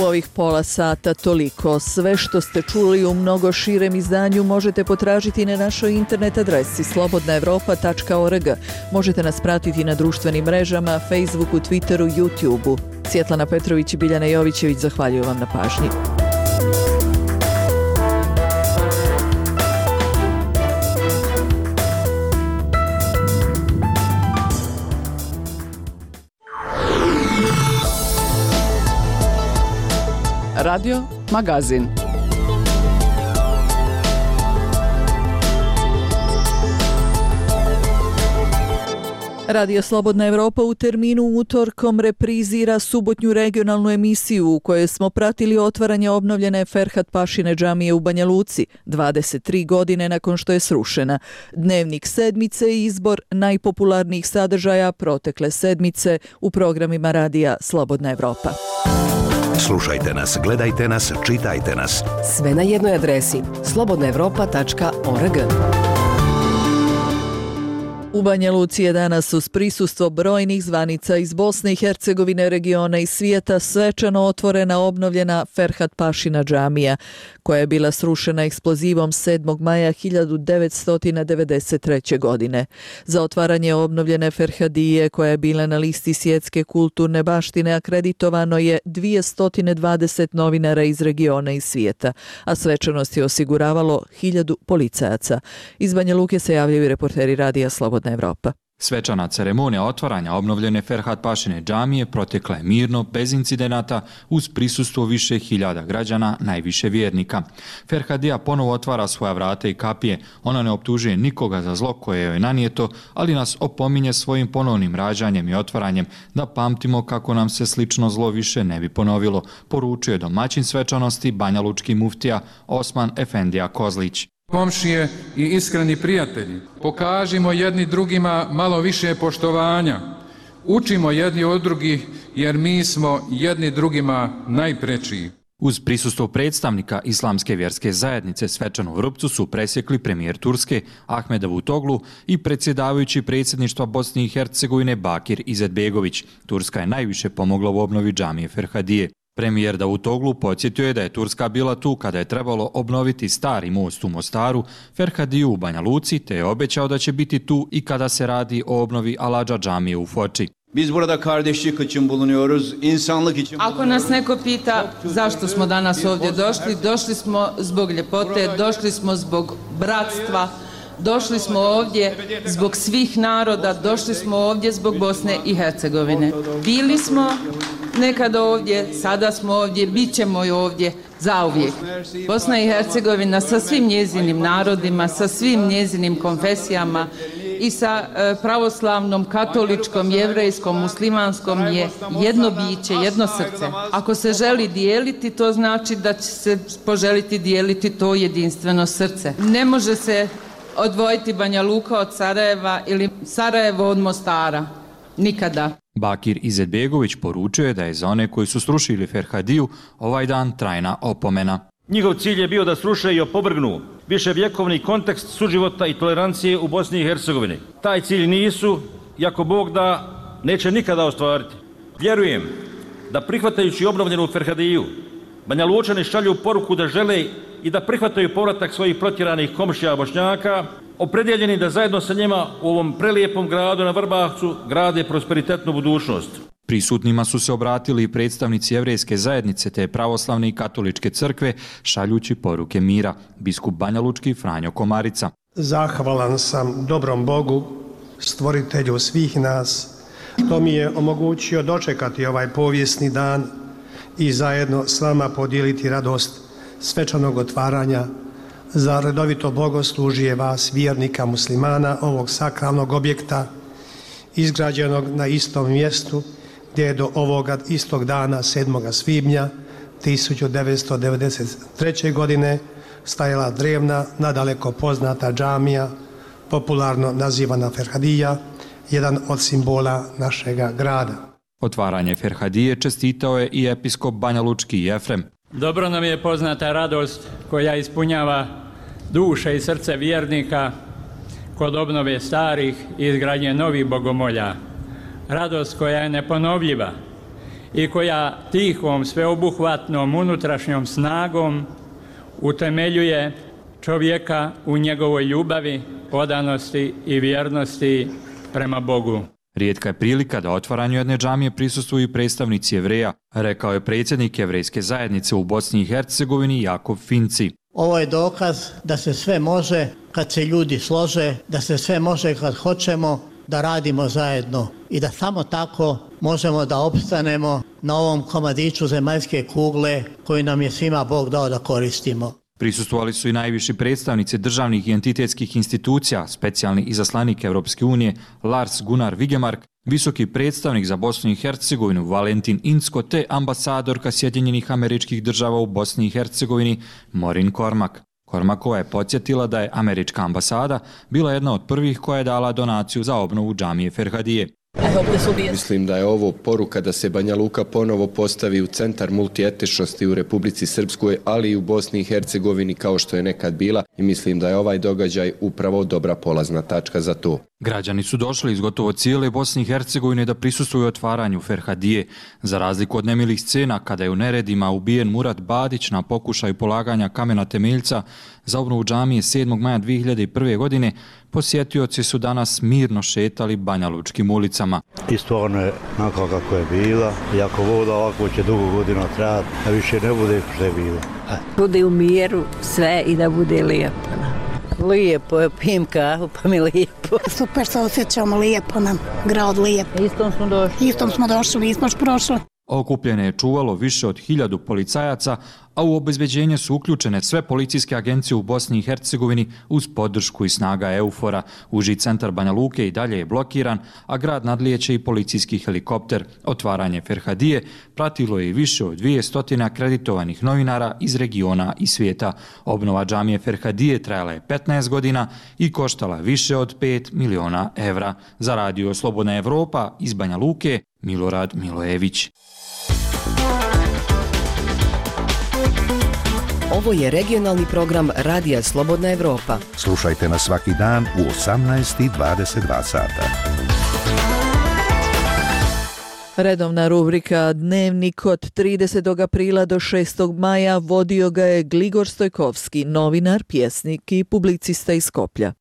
U ovih pola sata toliko. Sve što ste čuli u mnogo širem izdanju možete potražiti na našoj internet adresi slobodnaevropa.org. Možete nas pratiti na društvenim mrežama, Facebooku, Twitteru, YouTubeu. Svjetlana Petrović i Biljana Jovićević zahvaljuju vam na pažnji. Radio Magazin. Radio Slobodna Evropa u terminu utorkom reprizira subotnju regionalnu emisiju u kojoj smo pratili otvaranje obnovljene Ferhat Pašine džamije u Banja Luci, 23 godine nakon što je srušena. Dnevnik sedmice i izbor najpopularnijih sadržaja protekle sedmice u programima Radija Slobodna Evropa. Slušajte nas, gledajte nas, čitajte nas. Sve na jednoj adresi slobodnaevropa.org. U Banja Luci je danas uz prisustvo brojnih zvanica iz Bosne i Hercegovine, regiona i svijeta svečano otvorena obnovljena Ferhat Pašina džamija, koja je bila srušena eksplozivom 7. maja 1993. godine. Za otvaranje obnovljene Ferhadije, koja je bila na listi svjetske kulturne baštine, akreditovano je 220 novinara iz regiona i svijeta, a svečanost je osiguravalo 1000 policajaca. Iz Banja Luke se javljaju reporteri Radija Slobodna Evropa. Svečana ceremonija otvaranja obnovljene Ferhat Pašine džamije protekla je mirno, bez incidenata, uz prisustvo više hiljada građana, najviše vjernika. Ferhadija ponovo otvara svoja vrata i kapije. Ona ne optužuje nikoga za zlo koje joj nanijeto, ali nas opominje svojim ponovnim rađanjem i otvaranjem da pamtimo kako nam se slično zlo više ne bi ponovilo, poručuje domaćin svečanosti banjalučki muftija Osman Efendija Kozlić. Komšije i iskreni prijatelji, pokažimo jedni drugima malo više poštovanja. Učimo jedni od drugih jer mi smo jedni drugima najprečiji. Uz prisustvo predstavnika Islamske vjerske zajednice svečanu vrpcu su presjekli premijer Turske Ahmed Davutoglu i predsjedavajući predsjedništva Bosne i Hercegovine Bakir Izetbegović. Turska je najviše pomogla u obnovi džamije Ferhadije. Premijer Davutoglu podsjetio je da je Turska bila tu kada je trebalo obnoviti stari most u Mostaru, Ferhadiju u Banja Luci, te je obećao da će biti tu i kada se radi o obnovi Aladža džamije u Foči. Biz burada kardeşlik için bulunuyoruz, insanlık için. Ako nas neko pita zašto smo danas ovdje došli, došli smo zbog ljepote, došli smo zbog bratstva, došli smo ovdje zbog svih naroda, došli smo ovdje zbog Bosne i Hercegovine. Bili smo nekada ovdje, sada smo ovdje, bit ćemo i ovdje zauvijek. Bosna i Hercegovina sa svim njezinim narodima, sa svim njezinim konfesijama i sa pravoslavnom, katoličkom, jevrejskom, muslimanskom je jedno biće, jedno srce. Ako se želi dijeliti, to znači da će se poželiti dijeliti to jedinstveno srce. Ne može se odvojiti Banja Luka od Sarajeva ili Sarajevo od Mostara. Nikada. Bakir Izetbegović poručio je da je za one koji su srušili Ferhadiju ovaj dan trajna opomena. Njihov cilj je bio da sruše i opovrgnu viševjekovni kontekst suživota i tolerancije u Bosni i Hercegovini. Taj cilj nisu, i ako Bog da, neće nikada ostvariti. Vjerujem da prihvatajući obnovljenu Ferhadiju, Banja Lučani šalju poruku da žele i da prihvataju povratak svojih protjeranih komšija Bošnjaka, opredjeljeni da zajedno sa njima u ovom prelijepom gradu na Vrbavcu grade prosperitetnu budućnost. Prisutnima su se obratili i predstavnici jevrejske zajednice te pravoslavne i katoličke crkve šaljući poruke mira, biskup banjalučki Franjo Komarica. Zahvalan sam dobrom Bogu, stvoritelju svih nas, što mi je omogućio dočekati ovaj povijesni dan i zajedno s vama podijeliti radost svečanog otvaranja za redovito bogoslužje vas, vjernika muslimana, ovog sakralnog objekta, izgrađenog na istom mjestu gdje je do ovoga istog dana, 7. svibnja 1993. godine stajala drevna, nadaleko poznata džamija, popularno nazivana Ferhadija, jedan od simbola našega grada. Otvaranje Ferhadije čestitao je i episkop banjalučki Jefrem. Dobro nam je poznata radost koja ispunjava duše i srce vjernika kod obnove starih i izgradnje novih bogomolja. Radost koja je neponovljiva i koja tihom, sveobuhvatnom unutrašnjom snagom utemeljuje čovjeka u njegovoj ljubavi, odanosti i vjernosti prema Bogu. Rijetka je prilika da otvaranju jedne džamije prisustvuju i predstavnici Jevreja, rekao je predsjednik Jevrejske zajednice u Bosni i Hercegovini Jakov Finci. Ovo je dokaz da se sve može kad se ljudi slože, da se sve može kad hoćemo, da radimo zajedno i da samo tako možemo da opstanemo na ovom komadiću zemaljske kugle koju nam je svima Bog dao da koristimo. Prisustvovali su i najviši predstavnici državnih i entitetskih institucija, specijalni izaslanik Europske unije Lars Gunnar Vigemark, visoki predstavnik za Bosnu i Hercegovinu Valentin Incko te ambasadorka Sjedinjenih Američkih Država u Bosni i Hercegovini Maureen Cormack. Cormackova je podsjetila da je američka ambasada bila jedna od prvih koja je dala donaciju za obnovu džamije Ferhadije. Mislim da je ovo poruka da se Banja Luka ponovo postavi u centar multietičnosti u Republici Srpskoj, ali i u Bosni i Hercegovini kao što je nekad bila, i mislim da je ovaj događaj upravo dobra polazna tačka za to. Građani su došli iz gotovo cijele Bosne i Hercegovine da prisustvuju otvaranju Ferhadije. Za razliku od nemilih scena kada je u neredima ubijen Murat Badić na pokušaju polaganja kamena temeljca za obnovu džamije 7. maja 2001. godine, posjetioci su danas mirno šetali banjalučkim ulicama. I stvarno je onako kako je bila, i ako voda ovako će dugo godina trajati, a više ne bude što je bilo. Bude u miru sve i da bude lijepo. Lijepo je, pijem kahu pa mi lijepo. Super se osjećamo, lijepo nam, grad lijep. Istom smo došli, nismo još prošli. Okupljene je čuvalo više od 1000 policajaca, a u obezbeđenje su uključene sve policijske agencije u Bosni i Hercegovini uz podršku i snaga EUFOR-a. Uži centar Banja Luke i dalje je blokiran, a grad nadlijeće i policijski helikopter. Otvaranje Ferhadije pratilo je i više od 200 akreditovanih novinara iz regiona i svijeta. Obnova džamije Ferhadije trajala je 15 godina i koštala više od 5 miliona evra. Za radio Slobodna Evropa iz Banja Luke, Milorad Milojević. Ovo je regionalni program Radija Slobodna Evropa. Slušajte nas svaki dan u 18:22 sata. Redovna rubrika Dnevnik od 30. aprila do 6. maja vodio ga je Gligor Stojkovski, novinar, pjesnik i publicista iz Skoplja.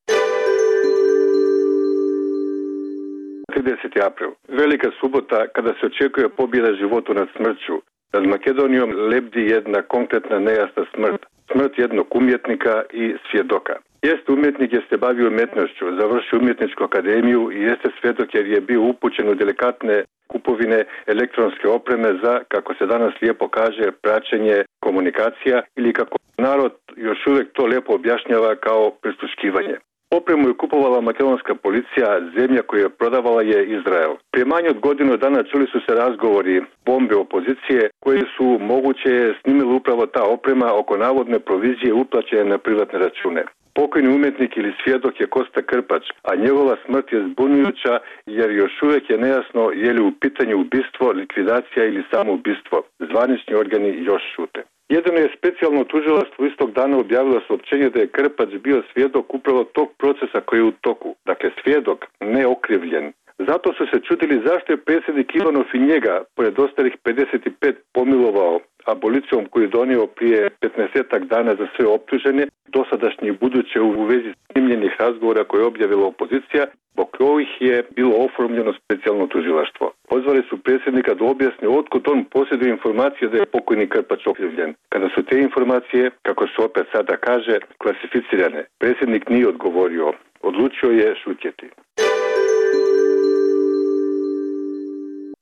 30. april. Velika subota kada se očekuje pobjeda životu nad smrću. Nad Makedonijom lebdi jedna konkretna nejasna smrt. Smrt jednog umjetnika i svjedoka. Jeste umjetnik jer se bavio umjetnošću, završio umjetničku akademiju i jeste svjedok jer je bio upućen u delikatne kupovine elektronske opreme za, kako se danas lijepo kaže, praćenje komunikacija ili kako narod još uvijek to lijepo objašnjava kao prisluškivanje. Opremu je kupovala makedonska policija, zemlja koju je prodavala je Izrael. Prije manje od godinu dana čuli su se razgovori bombe opozicije koje su moguće snimili upravo ta oprema oko navodne provizije uplaćene na privatne račune. Pokojni umjetnik ili svjedok je Kosta Krpač, a njegova smrt je zbunjujuća jer još uvijek je nejasno je li u pitanju ubistvo, likvidacija ili samo ubistvo. Zvanični organi još šute. Jedino je specijalno tužilaštvo istog dana objavilo saopćenje da je Krpač bio svjedok upravo tog procesa koji je u toku. Dakle, svjedok, ne okrivljen. Zato su se čudili zašto je predsjednik Ivanov i njega, pored ostalih 55, pomilovao abolicijom koju je donio prije 15 dana za sve optužene, dosadašnje i buduće u vezi snimljenih razgovora koje je objavila opozicija, zbog kojih je bilo oformljeno specijalno tužilaštvo. Pozvali su predsjednika da objasni otkud on posjeduje informacije da je pokojni Krpač okrivljen. Kada su te informacije, kako se opet sada kaže, klasificirane, predsjednik nije odgovorio, odlučio je šutjeti.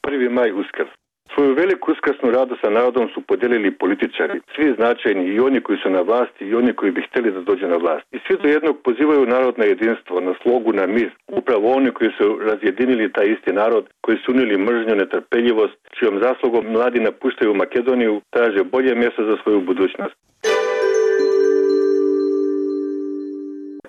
1. maj Uskrs. Svoju veliku uskrsnu radost sa narodom su podijelili političari, svi značajni, i oni koji su na vlasti i oni koji bi htjeli da dođu na vlast. I svi do jednog pozivaju narod na jedinstvo, na slogu, na mir. Upravo oni koji su razjedinili taj isti narod, koji su unili mržnju, netrpeljivost, čijom zaslugom mladi napuštaju Makedoniju, traže bolje mjesto za svoju budućnost.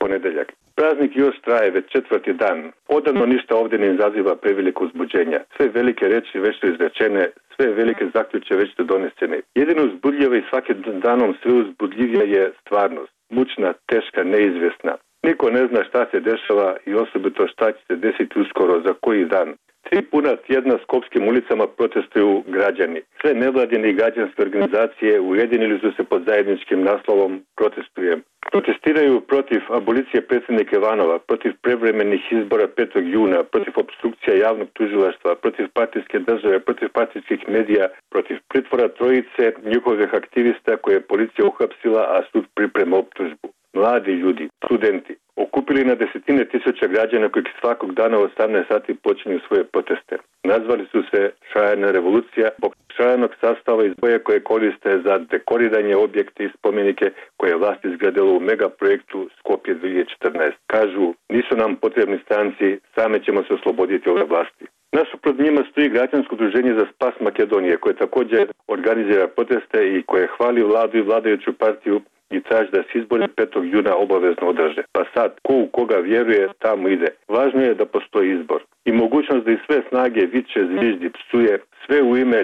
Ponedeljak. Praznik još traje već 4. dan. Odavno ništa ovdje ne izaziva preveliko uzbuđenja. Sve velike reči već su izrečene, sve velike zaključke već su donesene. Jedino uzbudljivo i svakim danom sve uzbudljivija je stvarnost. Mučna, teška, neizvjesna. Niko ne zna šta se dešava i osobito šta će se desiti uskoro, za koji dan. 3 puna tjedna skopskim ulicama protestuju građani. Sve nevladine i građanske organizacije ujedinili su se pod zajedničkim naslovom Protestujem. Protestiraju protiv abolicije predsjednika Ivanova, protiv prevremenih izbora 5. juna, protiv opstrukcija javnog tužilaštva, protiv partijske države, protiv partijskih medija, protiv pritvora trojice njihovih aktivista koje je policija uhapsila, a sud priprema optužbu. Mladi ljudi, studenti, okupili na desetine tisuća građana koji svakog dana u 18 sati počinju svoje proteste. Nazvali su se Šajana revolucija zbog šajanog sastava iz boje koje koriste za dekoriranje objekte i spomenike koje je vlast izgradila u megaprojektu Skopje 2014. Kažu, nisu nam potrebni stranci, same ćemo se osloboditi ove vlasti. Nasuprot njima stoji građansko udruženje za spas Makedonije koje također organizira proteste i koje hvali vladu i vladajuću partiju i traži da se izbori 5. juna obavezno održe. Pa sad, ko u koga vjeruje, tamo ide. Važno je da postoji izbor. I mogućnost da iz sve snage viče, zviždi, psuje, sve u ime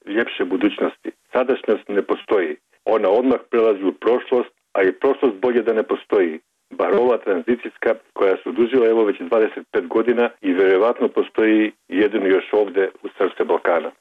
ljepše budućnosti. Sadašnjost ne postoji. Ona odmah prelazi u prošlost, a i prošlost bolje da ne postoji. Bar ova tranzicijska koja se odužila evo već 25 godina i vjerovatno postoji jedino još ovdje u srce Balkana.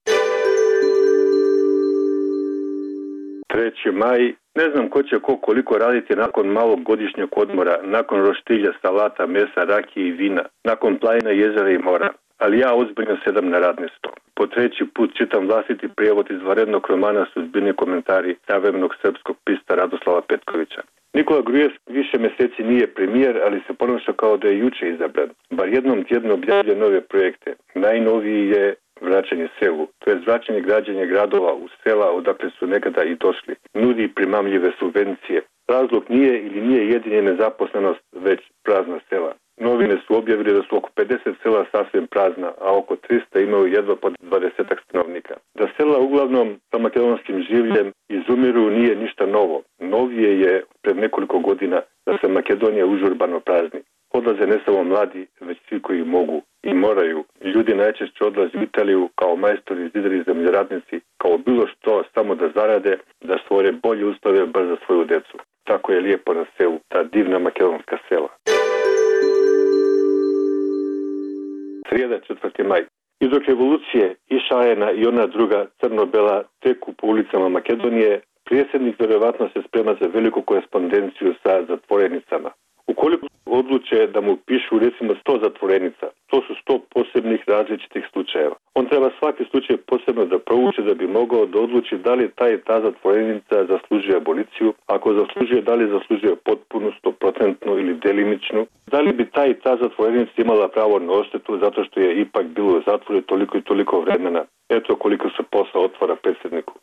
3. maj. Ne znam ko će koliko raditi nakon malog godišnjeg odmora, nakon roštilja, salata, mesa, rakije i vina, nakon planina, jezera i mora. Ali ja ozbiljno sedam na radni sto. Po 3. put čitam vlastiti prijevod izvanrednog romana Sudbini komentari savremenog srpskog pista Radoslava Petkovića. Nikola Grujev više mjeseci nije premijer, ali se ponaša kao da je juče izabran. Bar jednom tjedno objavlja nove projekte. Najnoviji je vraćanje selu, to je vraćanje građenja gradova u sela odakle su nekada i došli. Nudi primamljive subvencije. Razlog nije jedini nezaposlenost, već prazna sela. Novine su objavili da su oko 50 sela sasvim prazna, a oko 300 imaju jedva po 20 stanovnika. Da sela uglavnom sa makedonskim življem izumiru nije ništa novo. Novije je pred nekoliko godina da se Makedonija užurbano prazni. Odlaze ne samo mladi, već svi koji mogu i moraju. Ljudi najčešće odlaze u Italiju kao majstori, zidari, zemljoradnici, kao bilo što samo da zarade, da stvore bolje uslove bar za svoju decu. Tako je lijepo na selu, ta divna makedonska sela. Srijeda, 4. maj. I dok revolucije i Šajena i ona druga crno-bela teku po ulicama Makedonije, predsjednik vjerovatno se sprema za veliku korespondenciju sa zatvorenicama. Ukoliko odluče da mu pišu recimo 100 zatvorenica, to su 100 posebnih različitih slučajeva. On treba svaki slučaj posebno da prouči da bi mogao da odluči da li ta zatvorenica zaslužuje aboliciju, ako zaslužuje, da li zaslužuje potpunu, 100% ili delimičnu, da li bi ta zatvorenica imala pravo na odštetu zato što je ipak bilo u zatvoru toliko i toliko vremena. Eto koliko se posla otvara predsjedniku.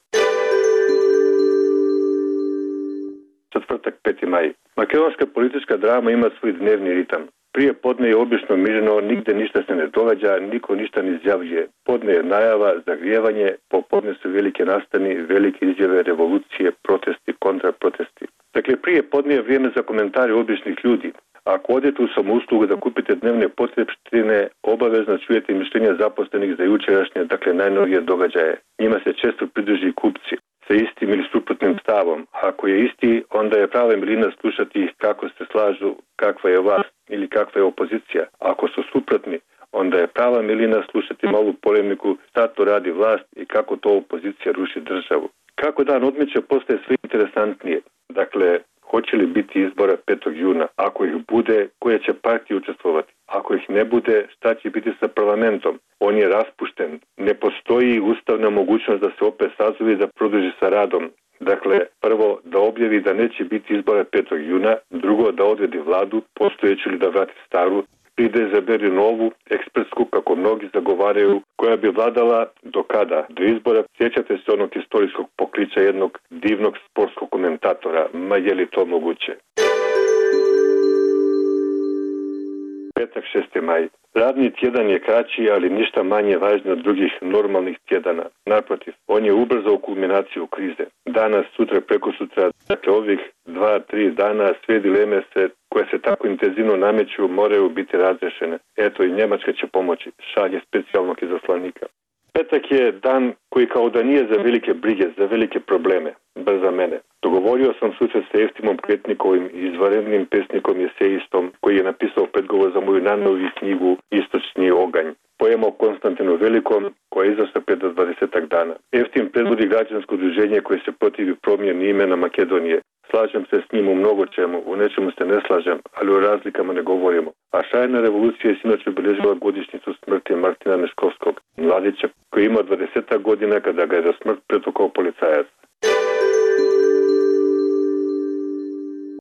Četvrtak, 5. maj. Makedonska politička drama ima svoj dnevni ritam. Prije podne je obično mirno, nigde ništa se ne događa, niko ništa ne izjavljuje. Podne je najava, zagrijevanje, popodne su velike nastani, velike izjave, revolucije, protesti, kontraprotesti. Dakle, prije podne je vrijeme za komentare običnih ljudi. Ako odete u samouslugu da kupite dnevne potrebštine, obavezno čujete mišljenja zaposlenih za jučerašnje, dakle najnovije događaje. Njima se često pridruži kupci sa istim ili suprotnim stavom. Ako je isti, onda je prava milina slušati kako se slažu, kakva je vlast ili kakva je opozicija. Ako su suprotni, onda je prava milina slušati malu polemiku šta to radi vlast i kako to opozicija ruši državu. Kako dan odmiče postaje sve interesantnije. Dakle, hoće li biti izbora 5. juna? Ako ih bude, koje će partije učestvovati? Ako ih ne bude, šta će biti sa parlamentom? On je raspušten. Ne postoji ustavna mogućnost da se opet sazove i da produži sa radom. Dakle, prvo da objavi da neće biti izbora 5. juna, drugo da odredi vladu, postojeću ili da vrati staru, pride izaberi novu, ekspertsku, kako mnogi zagovaraju, koja bi vladala do kada? Do izbora. Sjećate se onog istorijskog pokliča jednog divnog sportskog komentatora. Ma je li to moguće? Petak 6. maj. Radni tjedan je kraći, ali ništa manje važno od drugih normalnih tjedana. Naprotiv, on je ubrzao kulminaciju krize. Danas, sutra, prekosutra, dakle ovih 2-3 dana sve dileme koje se tako intenzivno nameću moraju biti razrešene. Eto i Njemačka će pomoći, šalje specijalnog izaslanika. Petak je dan koji kao da nije za velike brige, za velike probleme, bar za mene. Dogovorio sam susret sa Eftimom Kretnikovim, izvanrednim pesnikom i esejistom, koji je napisao predgovor za moju najnoviju knjigu Istočni oganj. Poema o Konstantinu Velikom, koja je izašla pred 20 dana. Eftim predvodi građansko udruženje koje se protivi promjeni imena Makedonije. Slažem se s njim u mnogo čemu, u nečemu se ne slažem, ali o razlikama ne govorimo. A šajna revolucija je sinoć obilježila godišnjicu smrti Martina Neškovskog, mladića koji ima 20 godina kada ga je za smrt pretukao policajac.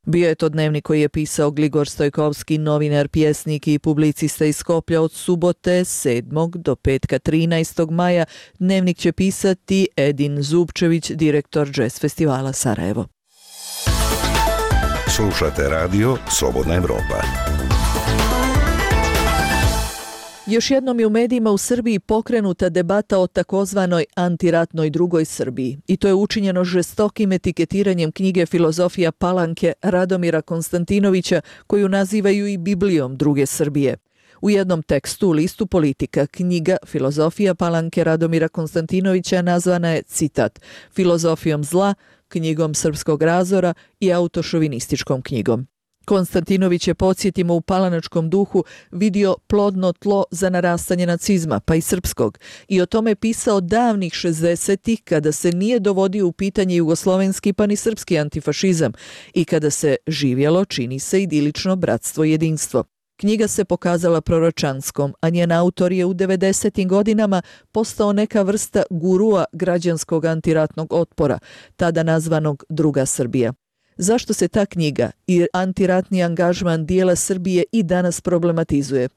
Bio je to dnevnik koji je pisao Gligor Stojkovski, novinar, pjesnik i publicista iz Skoplja od subote 7. do petka 13. maja. Dnevnik će pisati Edin Zubčević, direktor Jazz festivala Sarajevo. Slušate radio Slobodna Evropa. Još jednom je u medijima u Srbiji pokrenuta debata o takozvanoj antiratnoj drugoj Srbiji. I to je učinjeno žestokim etiketiranjem knjige Filozofija Palanke Radomira Konstantinovića, koju nazivaju i Biblijom druge Srbije. U jednom tekstu u listu Politika knjiga Filozofija Palanke Radomira Konstantinovića nazvana je, citat, filozofijom zla, knjigom srpskog razora i autošovinističkom knjigom. Konstantinović je, podsjetimo, u palanačkom duhu vidio plodno tlo za narastanje nacizma, pa i srpskog, i o tome pisao davnih 60-ih, kada se nije dovodio u pitanje jugoslovenski pa ni srpski antifašizam i kada se živjelo, čini se, idilično bratstvo i jedinstvo. Knjiga se pokazala proročanskom, a njen autor je u 90. godinama postao neka vrsta gurua građanskog antiratnog otpora, tada nazvanog Druga Srbija. Zašto se ta knjiga i antiratni angažman dijela Srbije i danas problematizuje?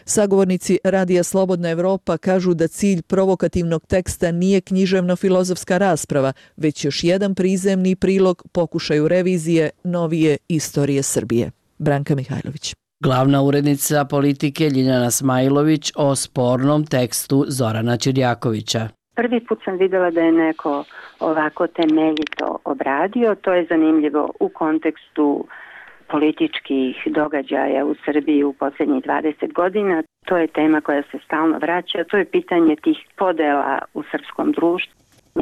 Sagovornici Radija Slobodna Evropa kažu da cilj provokativnog teksta nije književno-filozofska rasprava, već još jedan prizemni prilog pokušaju revizije novije istorije Srbije. Branka Mihajlović. Glavna urednica Politike Ljiljana Smajlović o spornom tekstu Zorana Ćirjakovića. Prvi put sam vidjela da je neko ovako temeljito obradio. To je zanimljivo u kontekstu političkih događaja u Srbiji u posljednjih 20 godina. To je tema koja se stalno vraća. To je pitanje tih podela u srpskom društvu.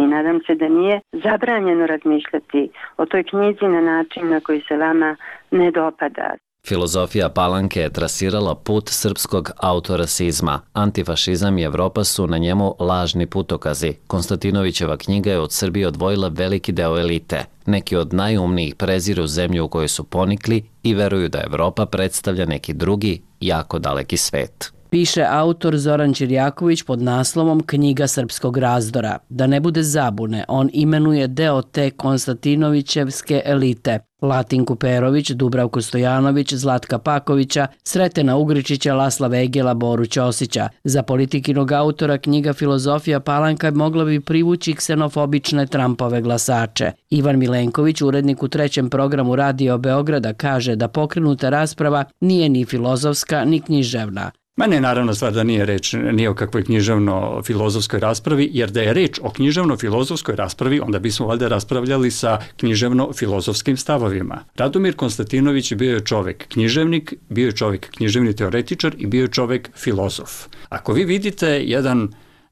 I nadam se da nije zabranjeno razmišljati o toj knjizi na način na koji se vama ne dopada. Filozofija Palanke je trasirala put srpskog autorasizma. Antifašizam i Evropa su na njemu lažni putokazi. Konstantinovićeva knjiga je od Srbije odvojila veliki deo elite. Neki od najumnijih preziru zemlju u kojoj su ponikli i veruju da Evropa predstavlja neki drugi, jako daleki svet. Piše autor Zoran Ćirjaković pod naslovom Knjiga srpskog razdora. Da ne bude zabune, on imenuje deo te Konstantinovićevske elite. Latinku Perović, Dubravku Stojanović, Zlatka Pakovića, Sretena Ugričića, Lasla Vegela, Boru Ćosića. Za Politikinog autora knjiga Filozofija Palanka mogla bi privući ksenofobične Trumpove glasače. Ivan Milenković, urednik u 3. programu Radio Beograda, kaže da pokrenuta rasprava nije ni filozofska ni književna. Mene naravno stvar da nije reč ni o kakvoj književno-filozofskoj raspravi, jer da je reč o književno-filozofskoj raspravi, onda bismo valjda raspravljali sa književno-filozofskim stavovima. Radomir Konstantinović bio je čovjek književnik, bio je čovjek književni teoretičar i bio je čovjek filozof. Ako vi vidite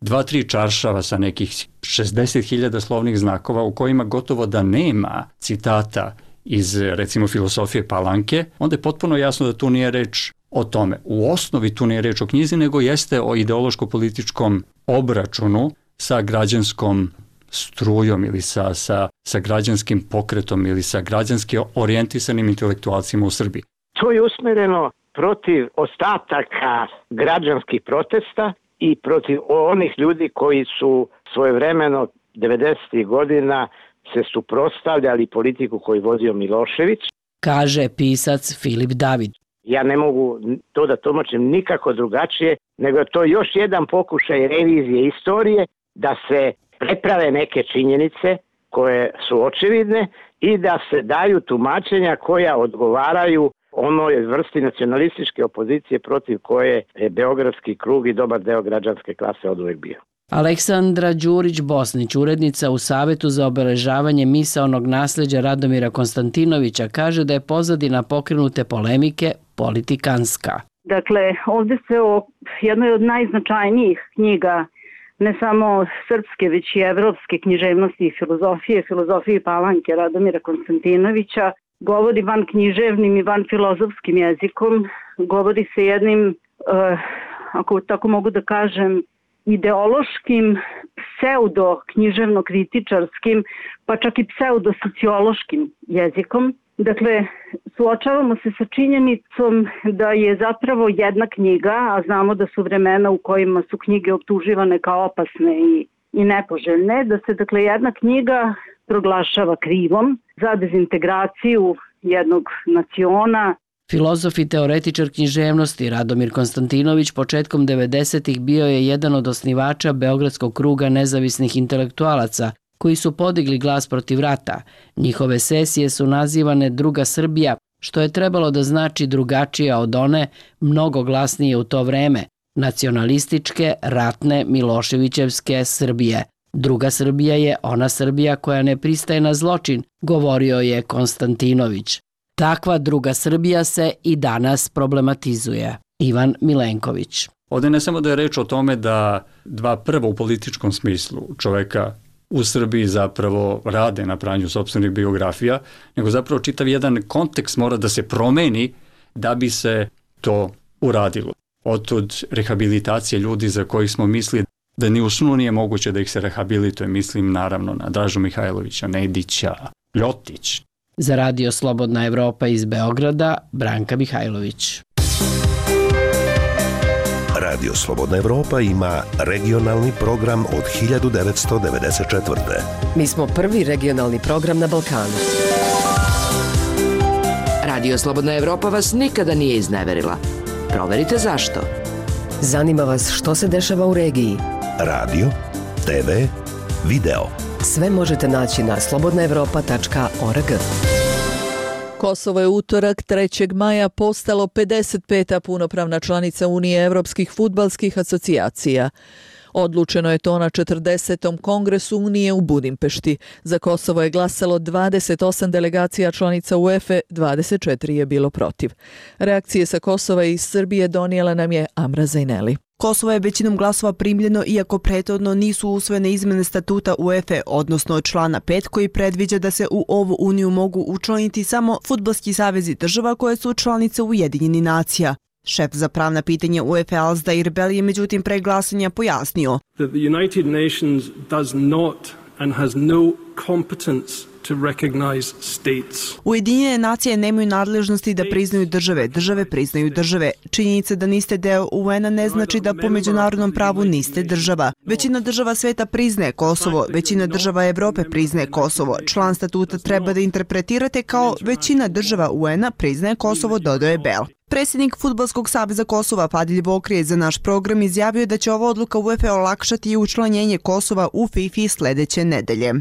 2-3 čaršava sa nekih 60.000 slovnih znakova u kojima gotovo da nema citata iz, recimo, filozofije Palanke, onda je potpuno jasno da tu nije reč o tome. U osnovi tu nije reč o knjizi, nego jeste o ideološko-političkom obračunu sa građanskom strujom ili sa građanskim pokretom ili sa građanski orijentisanim intelektualcima u Srbiji. To je usmjereno protiv ostataka građanskih protesta i protiv onih ljudi koji su svojevremeno 90. godina se suprotstavljali politiku koju vodio Milošević. Kaže pisac Filip David. Ja ne mogu to da tumačim nikako drugačije, nego to još jedan pokušaj revizije istorije da se preprave neke činjenice koje su očevidne i da se daju tumačenja koja odgovaraju onoj vrsti nacionalističke opozicije protiv koje je Beogradski krug i dobar deo građanske klase oduvek bio. Aleksandra Đurić-Bosnić, urednica u Savetu za obeležavanje misaonog nasljeđa Radomira Konstantinovića, kaže da je pozadina pokrenute polemike politikanska. Dakle, ovdje se o jednoj od najznačajnijih knjiga ne samo srpske, već i evropske književnosti i filozofije Palanke Radomira Konstantinovića, govori van književnim i van filozofskim jezikom, govori se jednim, ako tako mogu da kažem, ideološkim, pseudo-književno-kritičarskim, pa čak i pseudo-sociološkim jezikom. Dakle, suočavamo se sa činjenicom da je zapravo jedna knjiga, a znamo da su vremena u kojima su knjige optuživane kao opasne i nepoželjne, da se dakle jedna knjiga proglašava krivom za dezintegraciju jednog naciona. Filozof i teoretičar književnosti Radomir Konstantinović početkom 90-ih bio je jedan od osnivača Beogradskog kruga nezavisnih intelektualaca, koji su podigli glas protiv rata. Njihove sesije su nazivane Druga Srbija, što je trebalo da znači drugačija od one, mnogo glasnije u to vreme, nacionalističke, ratne, Miloševićevske Srbije. Druga Srbija je ona Srbija koja ne pristaje na zločin, govorio je Konstantinović. Takva druga Srbija se i danas problematizuje. Ivan Milenković. Ovdje ne samo da je reč o tome da dva prva u političkom smislu čoveka u Srbiji zapravo rade na pranju sopstvenih biografija, nego zapravo čitav jedan kontekst mora da se promeni da bi se to uradilo. Otud rehabilitacije ljudi za kojih smo mislili da ni u snu nije moguće da ih se rehabilituje, mislim naravno na Dražu Mihajlovića, Nedića, Ljotić. Za Radio Slobodna Evropa iz Beograda, Branka Mihajlović. Radio Slobodna Evropa ima regionalni program od 1994. Mi smo prvi regionalni program na Balkanu. Radio Slobodna Evropa vas nikada nije izneverila. Proverite zašto. Zanima vas što se dešava u regiji. Radio, TV, video. Sve možete naći na slobodnaevropa.org. Kosovo je utorak 3. maja postalo 55. punopravna članica Unije evropskih fudbalskih asocijacija. Odlučeno je to na 40. kongresu Unije u Budimpešti. Za Kosovo je glasalo 28 delegacija članica UEFA, 24 je bilo protiv. Reakcije sa Kosova i iz Srbije donijela nam je Amra Zajneli. Kosovo je većinom glasova primljeno, iako prethodno nisu usvojene izmene statuta UEFA, odnosno člana 5 koji predviđa da se u ovu uniju mogu učlaniti samo fudbalski savezi država koje su članice Ujedinjenih nacija. Šef za pravna pitanja UEFA Alsdair Bell je međutim pre glasanja pojasnio. The United Nations does not and has no competence to recognize states. Ujedinjene nacije nemaju nadležnosti da priznaju države, države priznaju države. Činjenica da niste deo UN-a ne znači da po međunarodnom pravu niste država. Većina država sveta priznaje Kosovo, većina država Evrope priznaje Kosovo. Član statuta treba da interpretirate kao većina država UN-a priznaje Kosovo, dodaje Bell. Predsjednik Fudbalskog saveza Kosova Padilj Vokrije za naš program izjavio da će ova odluka UEFA olakšati i učlanjenje Kosova u FIFA sljedeće nedelje.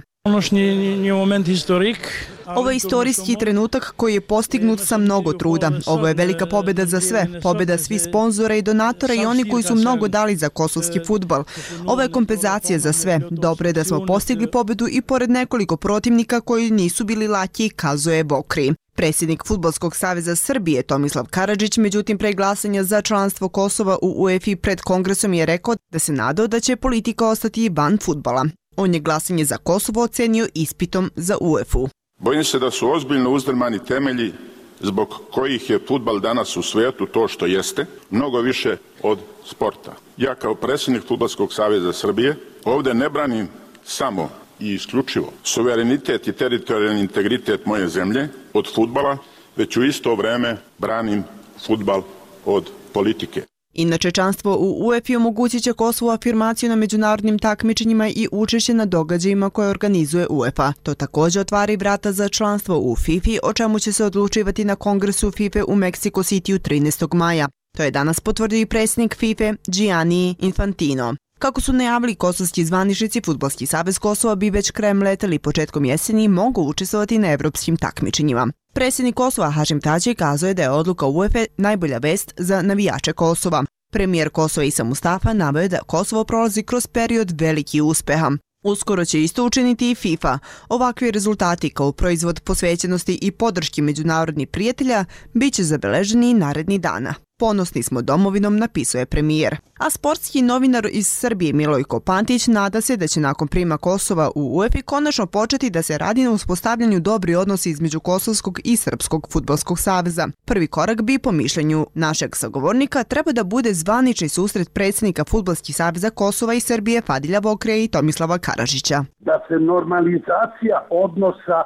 Ovo je istorijski trenutak koji je postignut sa mnogo truda. Ovo je velika pobjeda za sve, pobjeda svih sponzora i donatora i oni koji su mnogo dali za kosovski fudbal. Ovo je kompenzacija za sve. Dobro je da smo postigli pobjedu i pored nekoliko protivnika koji nisu bili laki, kazuje Vokri. Predsjednik Fudbalskog saveza Srbije Tomislav Karadžić, međutim pre glasanja za članstvo Kosova u UEFA pred kongresom je rekao da se nadao da će politika ostati van fudbala. On je glasanje za Kosovo ocenio ispitom za UEFA-u. Bojim se da su ozbiljno uzdrmani temelji zbog kojih je fudbal danas u svijetu to što jeste, mnogo više od sporta. Ja kao predsjednik Fudbalskog saveza Srbije ovdje ne branim samo i isključivo suverenitet i teritorijalni integritet moje zemlje od fudbala, već u isto vrijeme branim fudbal od politike. Inače, članstvo u UEFA omogućit će Kosovu afirmaciju na međunarodnim takmičenjima i učešće na događajima koje organizuje UEFA. To također otvara i vrata za članstvo u FIFA, o čemu će se odlučivati na kongresu FIFA u Mexico Cityu 13. maja. To je danas potvrdio i predsjednik FIFA Gianni Infantino. Kako su najavili kosovski zvaničnici, Fudbalski savez Kosova bi već krajem leta ili početkom jeseni mogu učestvovati na evropskim takmičenjima. Predsjednik Kosova Hašim Tači kazao je da je odluka UEFA najbolja vest za navijače Kosova. Premijer Kosova Isa Mustafa naveo je da Kosovo prolazi kroz period velikih uspeha. Uskoro će isto učiniti i FIFA. Ovakvi rezultati kao proizvod posvećenosti i podrški međunarodnih prijatelja bit će zabeleženi i narednih dana. Ponosni smo domovinom, napisao je premijer. A sportski novinar iz Srbije Milojko Pantić nada se da će nakon prijema Kosova u UEFA konačno početi da se radi na uspostavljanju dobri odnosi između Kosovskog i Srpskog fudbalskog saveza. Prvi korak bi, po mišljenju našeg sagovornika, treba da bude zvanični susret predsjednika Fudbalskih saveza Kosova i Srbije Fadilja Vokrija i Tomislava Karadžića. Da se normalizacija odnosa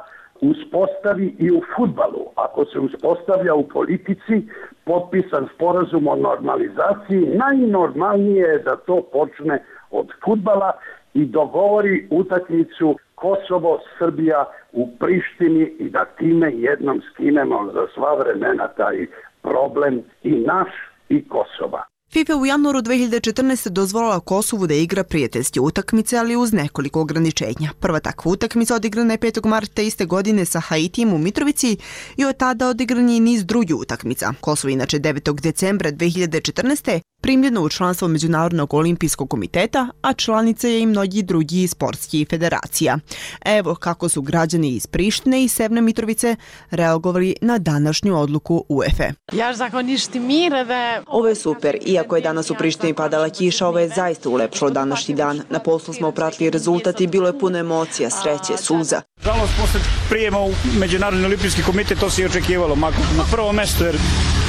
uspostavi i u fudbalu. Ako se uspostavlja u politici, potpisan sporazum o normalizaciji, najnormalnije je da to počne od fudbala i dogovori utakmicu Kosovo-Srbija u Prištini i da time jednom skinemo za sva vremena taj problem i naš i Kosova. FIFA u januaru 2014. dozvolila Kosovu da igra prijateljske utakmice, ali uz nekoliko ograničenja. Prva takva utakmica odigrana je 5. marta iste godine sa Haitijem u Mitrovici i od tada odigran je niz drugih utakmica. Kosovo inače 9. decembra 2014. primljeno u članstvo Međunarodnog olimpijskog komiteta, a članica je i mnogi drugi sportskih federacija. Evo kako su građani iz Prištine i Severne Mitrovice reagovali na današnju odluku UEFA. Ovo je super. Iako je danas u Prištini padala kiša, ovo je zaista ulepšalo današnji dan. Na poslu smo pratili rezultat i bilo je puno emocija, sreće, suza. Žalost, posle prijema u Međunarodni olimpijski komitet, to se i očekivalo. Na prvo mesto, jer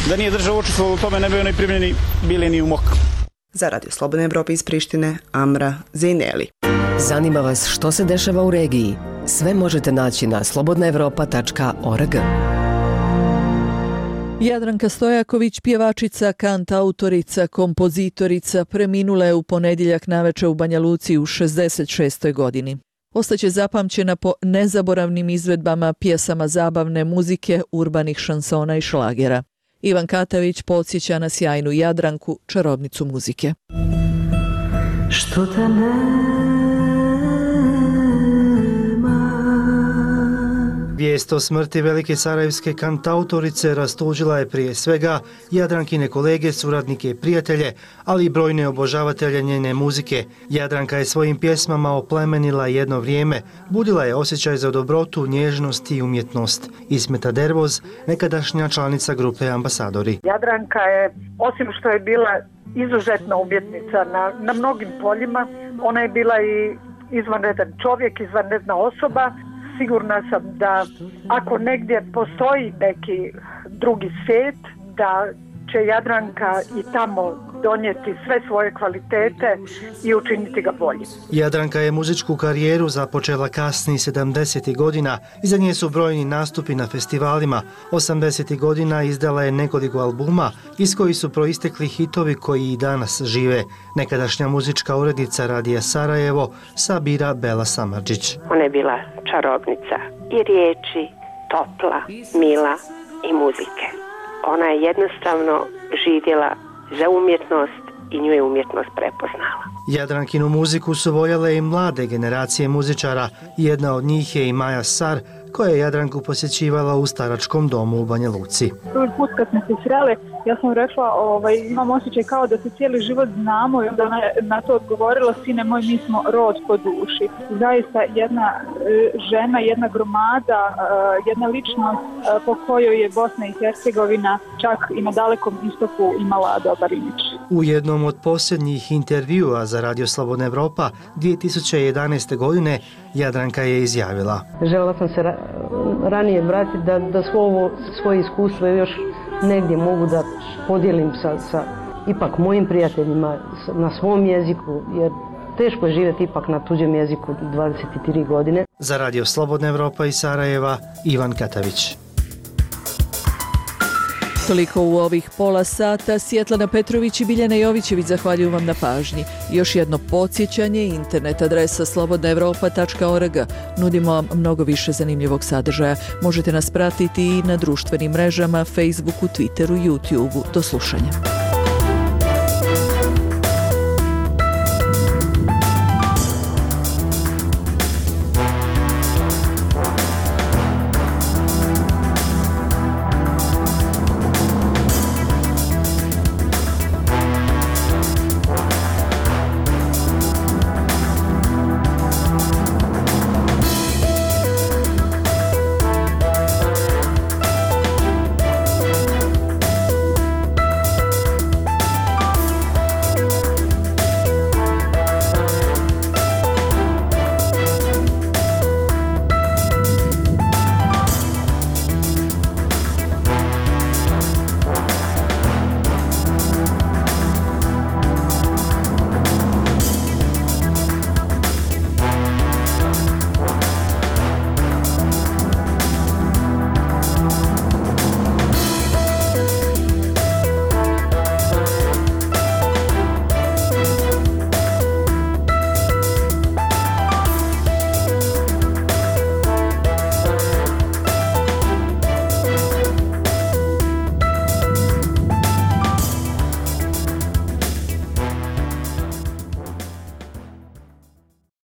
da nije država učestvovala u tome, ne bi oni primljeni bili ni u mok. Za Radio Slobodne Evrope iz Prištine, Amra Zejneli. Zanima vas što se dešava u regiji? Sve možete naći na slobodnaevropa.org. Jadranka Stojaković, pjevačica, kantautorica, kompozitorica, preminula je u ponedjeljak navečer u Banja Luci u 66. godini. Ostaće zapamćena po nezaboravnim izvedbama pjesama zabavne muzike, urbanih šansona i šlagera. Ivan Katavić podsjeća na sjajnu Jadranku, čarobnicu muzike. Što te nema? Vijest o smrti velike sarajevske kantautorice rastužila je prije svega Jadrankine kolege, suradnike i prijatelje, ali i brojne obožavatelje njene muzike. Jadranka je svojim pjesmama oplemenila jedno vrijeme, budila je osjećaj za dobrotu, nježnost i umjetnost. Ismeta Dervoz, nekadašnja članica grupe Ambasadori. Jadranka je, osim što je bila izuzetna umjetnica na mnogim poljima, ona je bila i izvanredan čovjek, izvanredna osoba. Sigurna sam da ako negdje postoji neki drugi svijet, da će Jadranka i tamo donijeti sve svoje kvalitete i učiniti ga boljim. Jadranka je muzičku karijeru započela kasnih 70. godina. Iza nje su brojni nastupi na festivalima. 80. godina izdala je nekoliko albuma iz kojih su proistekli hitovi koji i danas žive. Nekadašnja muzička urednica Radija Sarajevo, Sabira Bela Samardžić. Ona je bila čarobnica i riječi, topla, mila i muzike. Ona je jednostavno živjela za umjetnost i nju je umjetnost prepoznala. Jadrankinu muziku su voljele i mlade generacije muzičara. Jedna od njih je i Maja Sar, koja je Jadranku posjećivala u staračkom domu u Banja Luci. Prvi put kad smo se sreli, ja sam rekla, imam osjećaj kao da se cijeli život znamo i onda ona je na to odgovorila, sine moj, mi smo rod po duši. Zaista jedna žena, jedna gromada, jedna ličnost po kojoj je Bosna i Hercegovina čak i na Dalekom istoku imala dobar imidž. U jednom od posljednjih intervjua za Radio Slobodna Evropa 2011. godine Jadranka je izjavila: željela sam se ranije vratiti da svoje iskustvo još negdje mogu da podijelim sa ipak mojim prijateljima na svom jeziku, jer teško je živjeti ipak na tuđem jeziku 23 godine. Za Radio Slobodna Evropa iz Sarajeva, Ivan Katavić. Toliko u ovih pola sata. Svjetlana Petrović i Biljana Jovićević zahvaljuju vam na pažnji. Još jedno podsjećanje, internet adresa slobodnaevropa.org. Nudimo vam mnogo više zanimljivog sadržaja. Možete nas pratiti i na društvenim mrežama, Facebooku, Twitteru, YouTubeu. Do slušanja.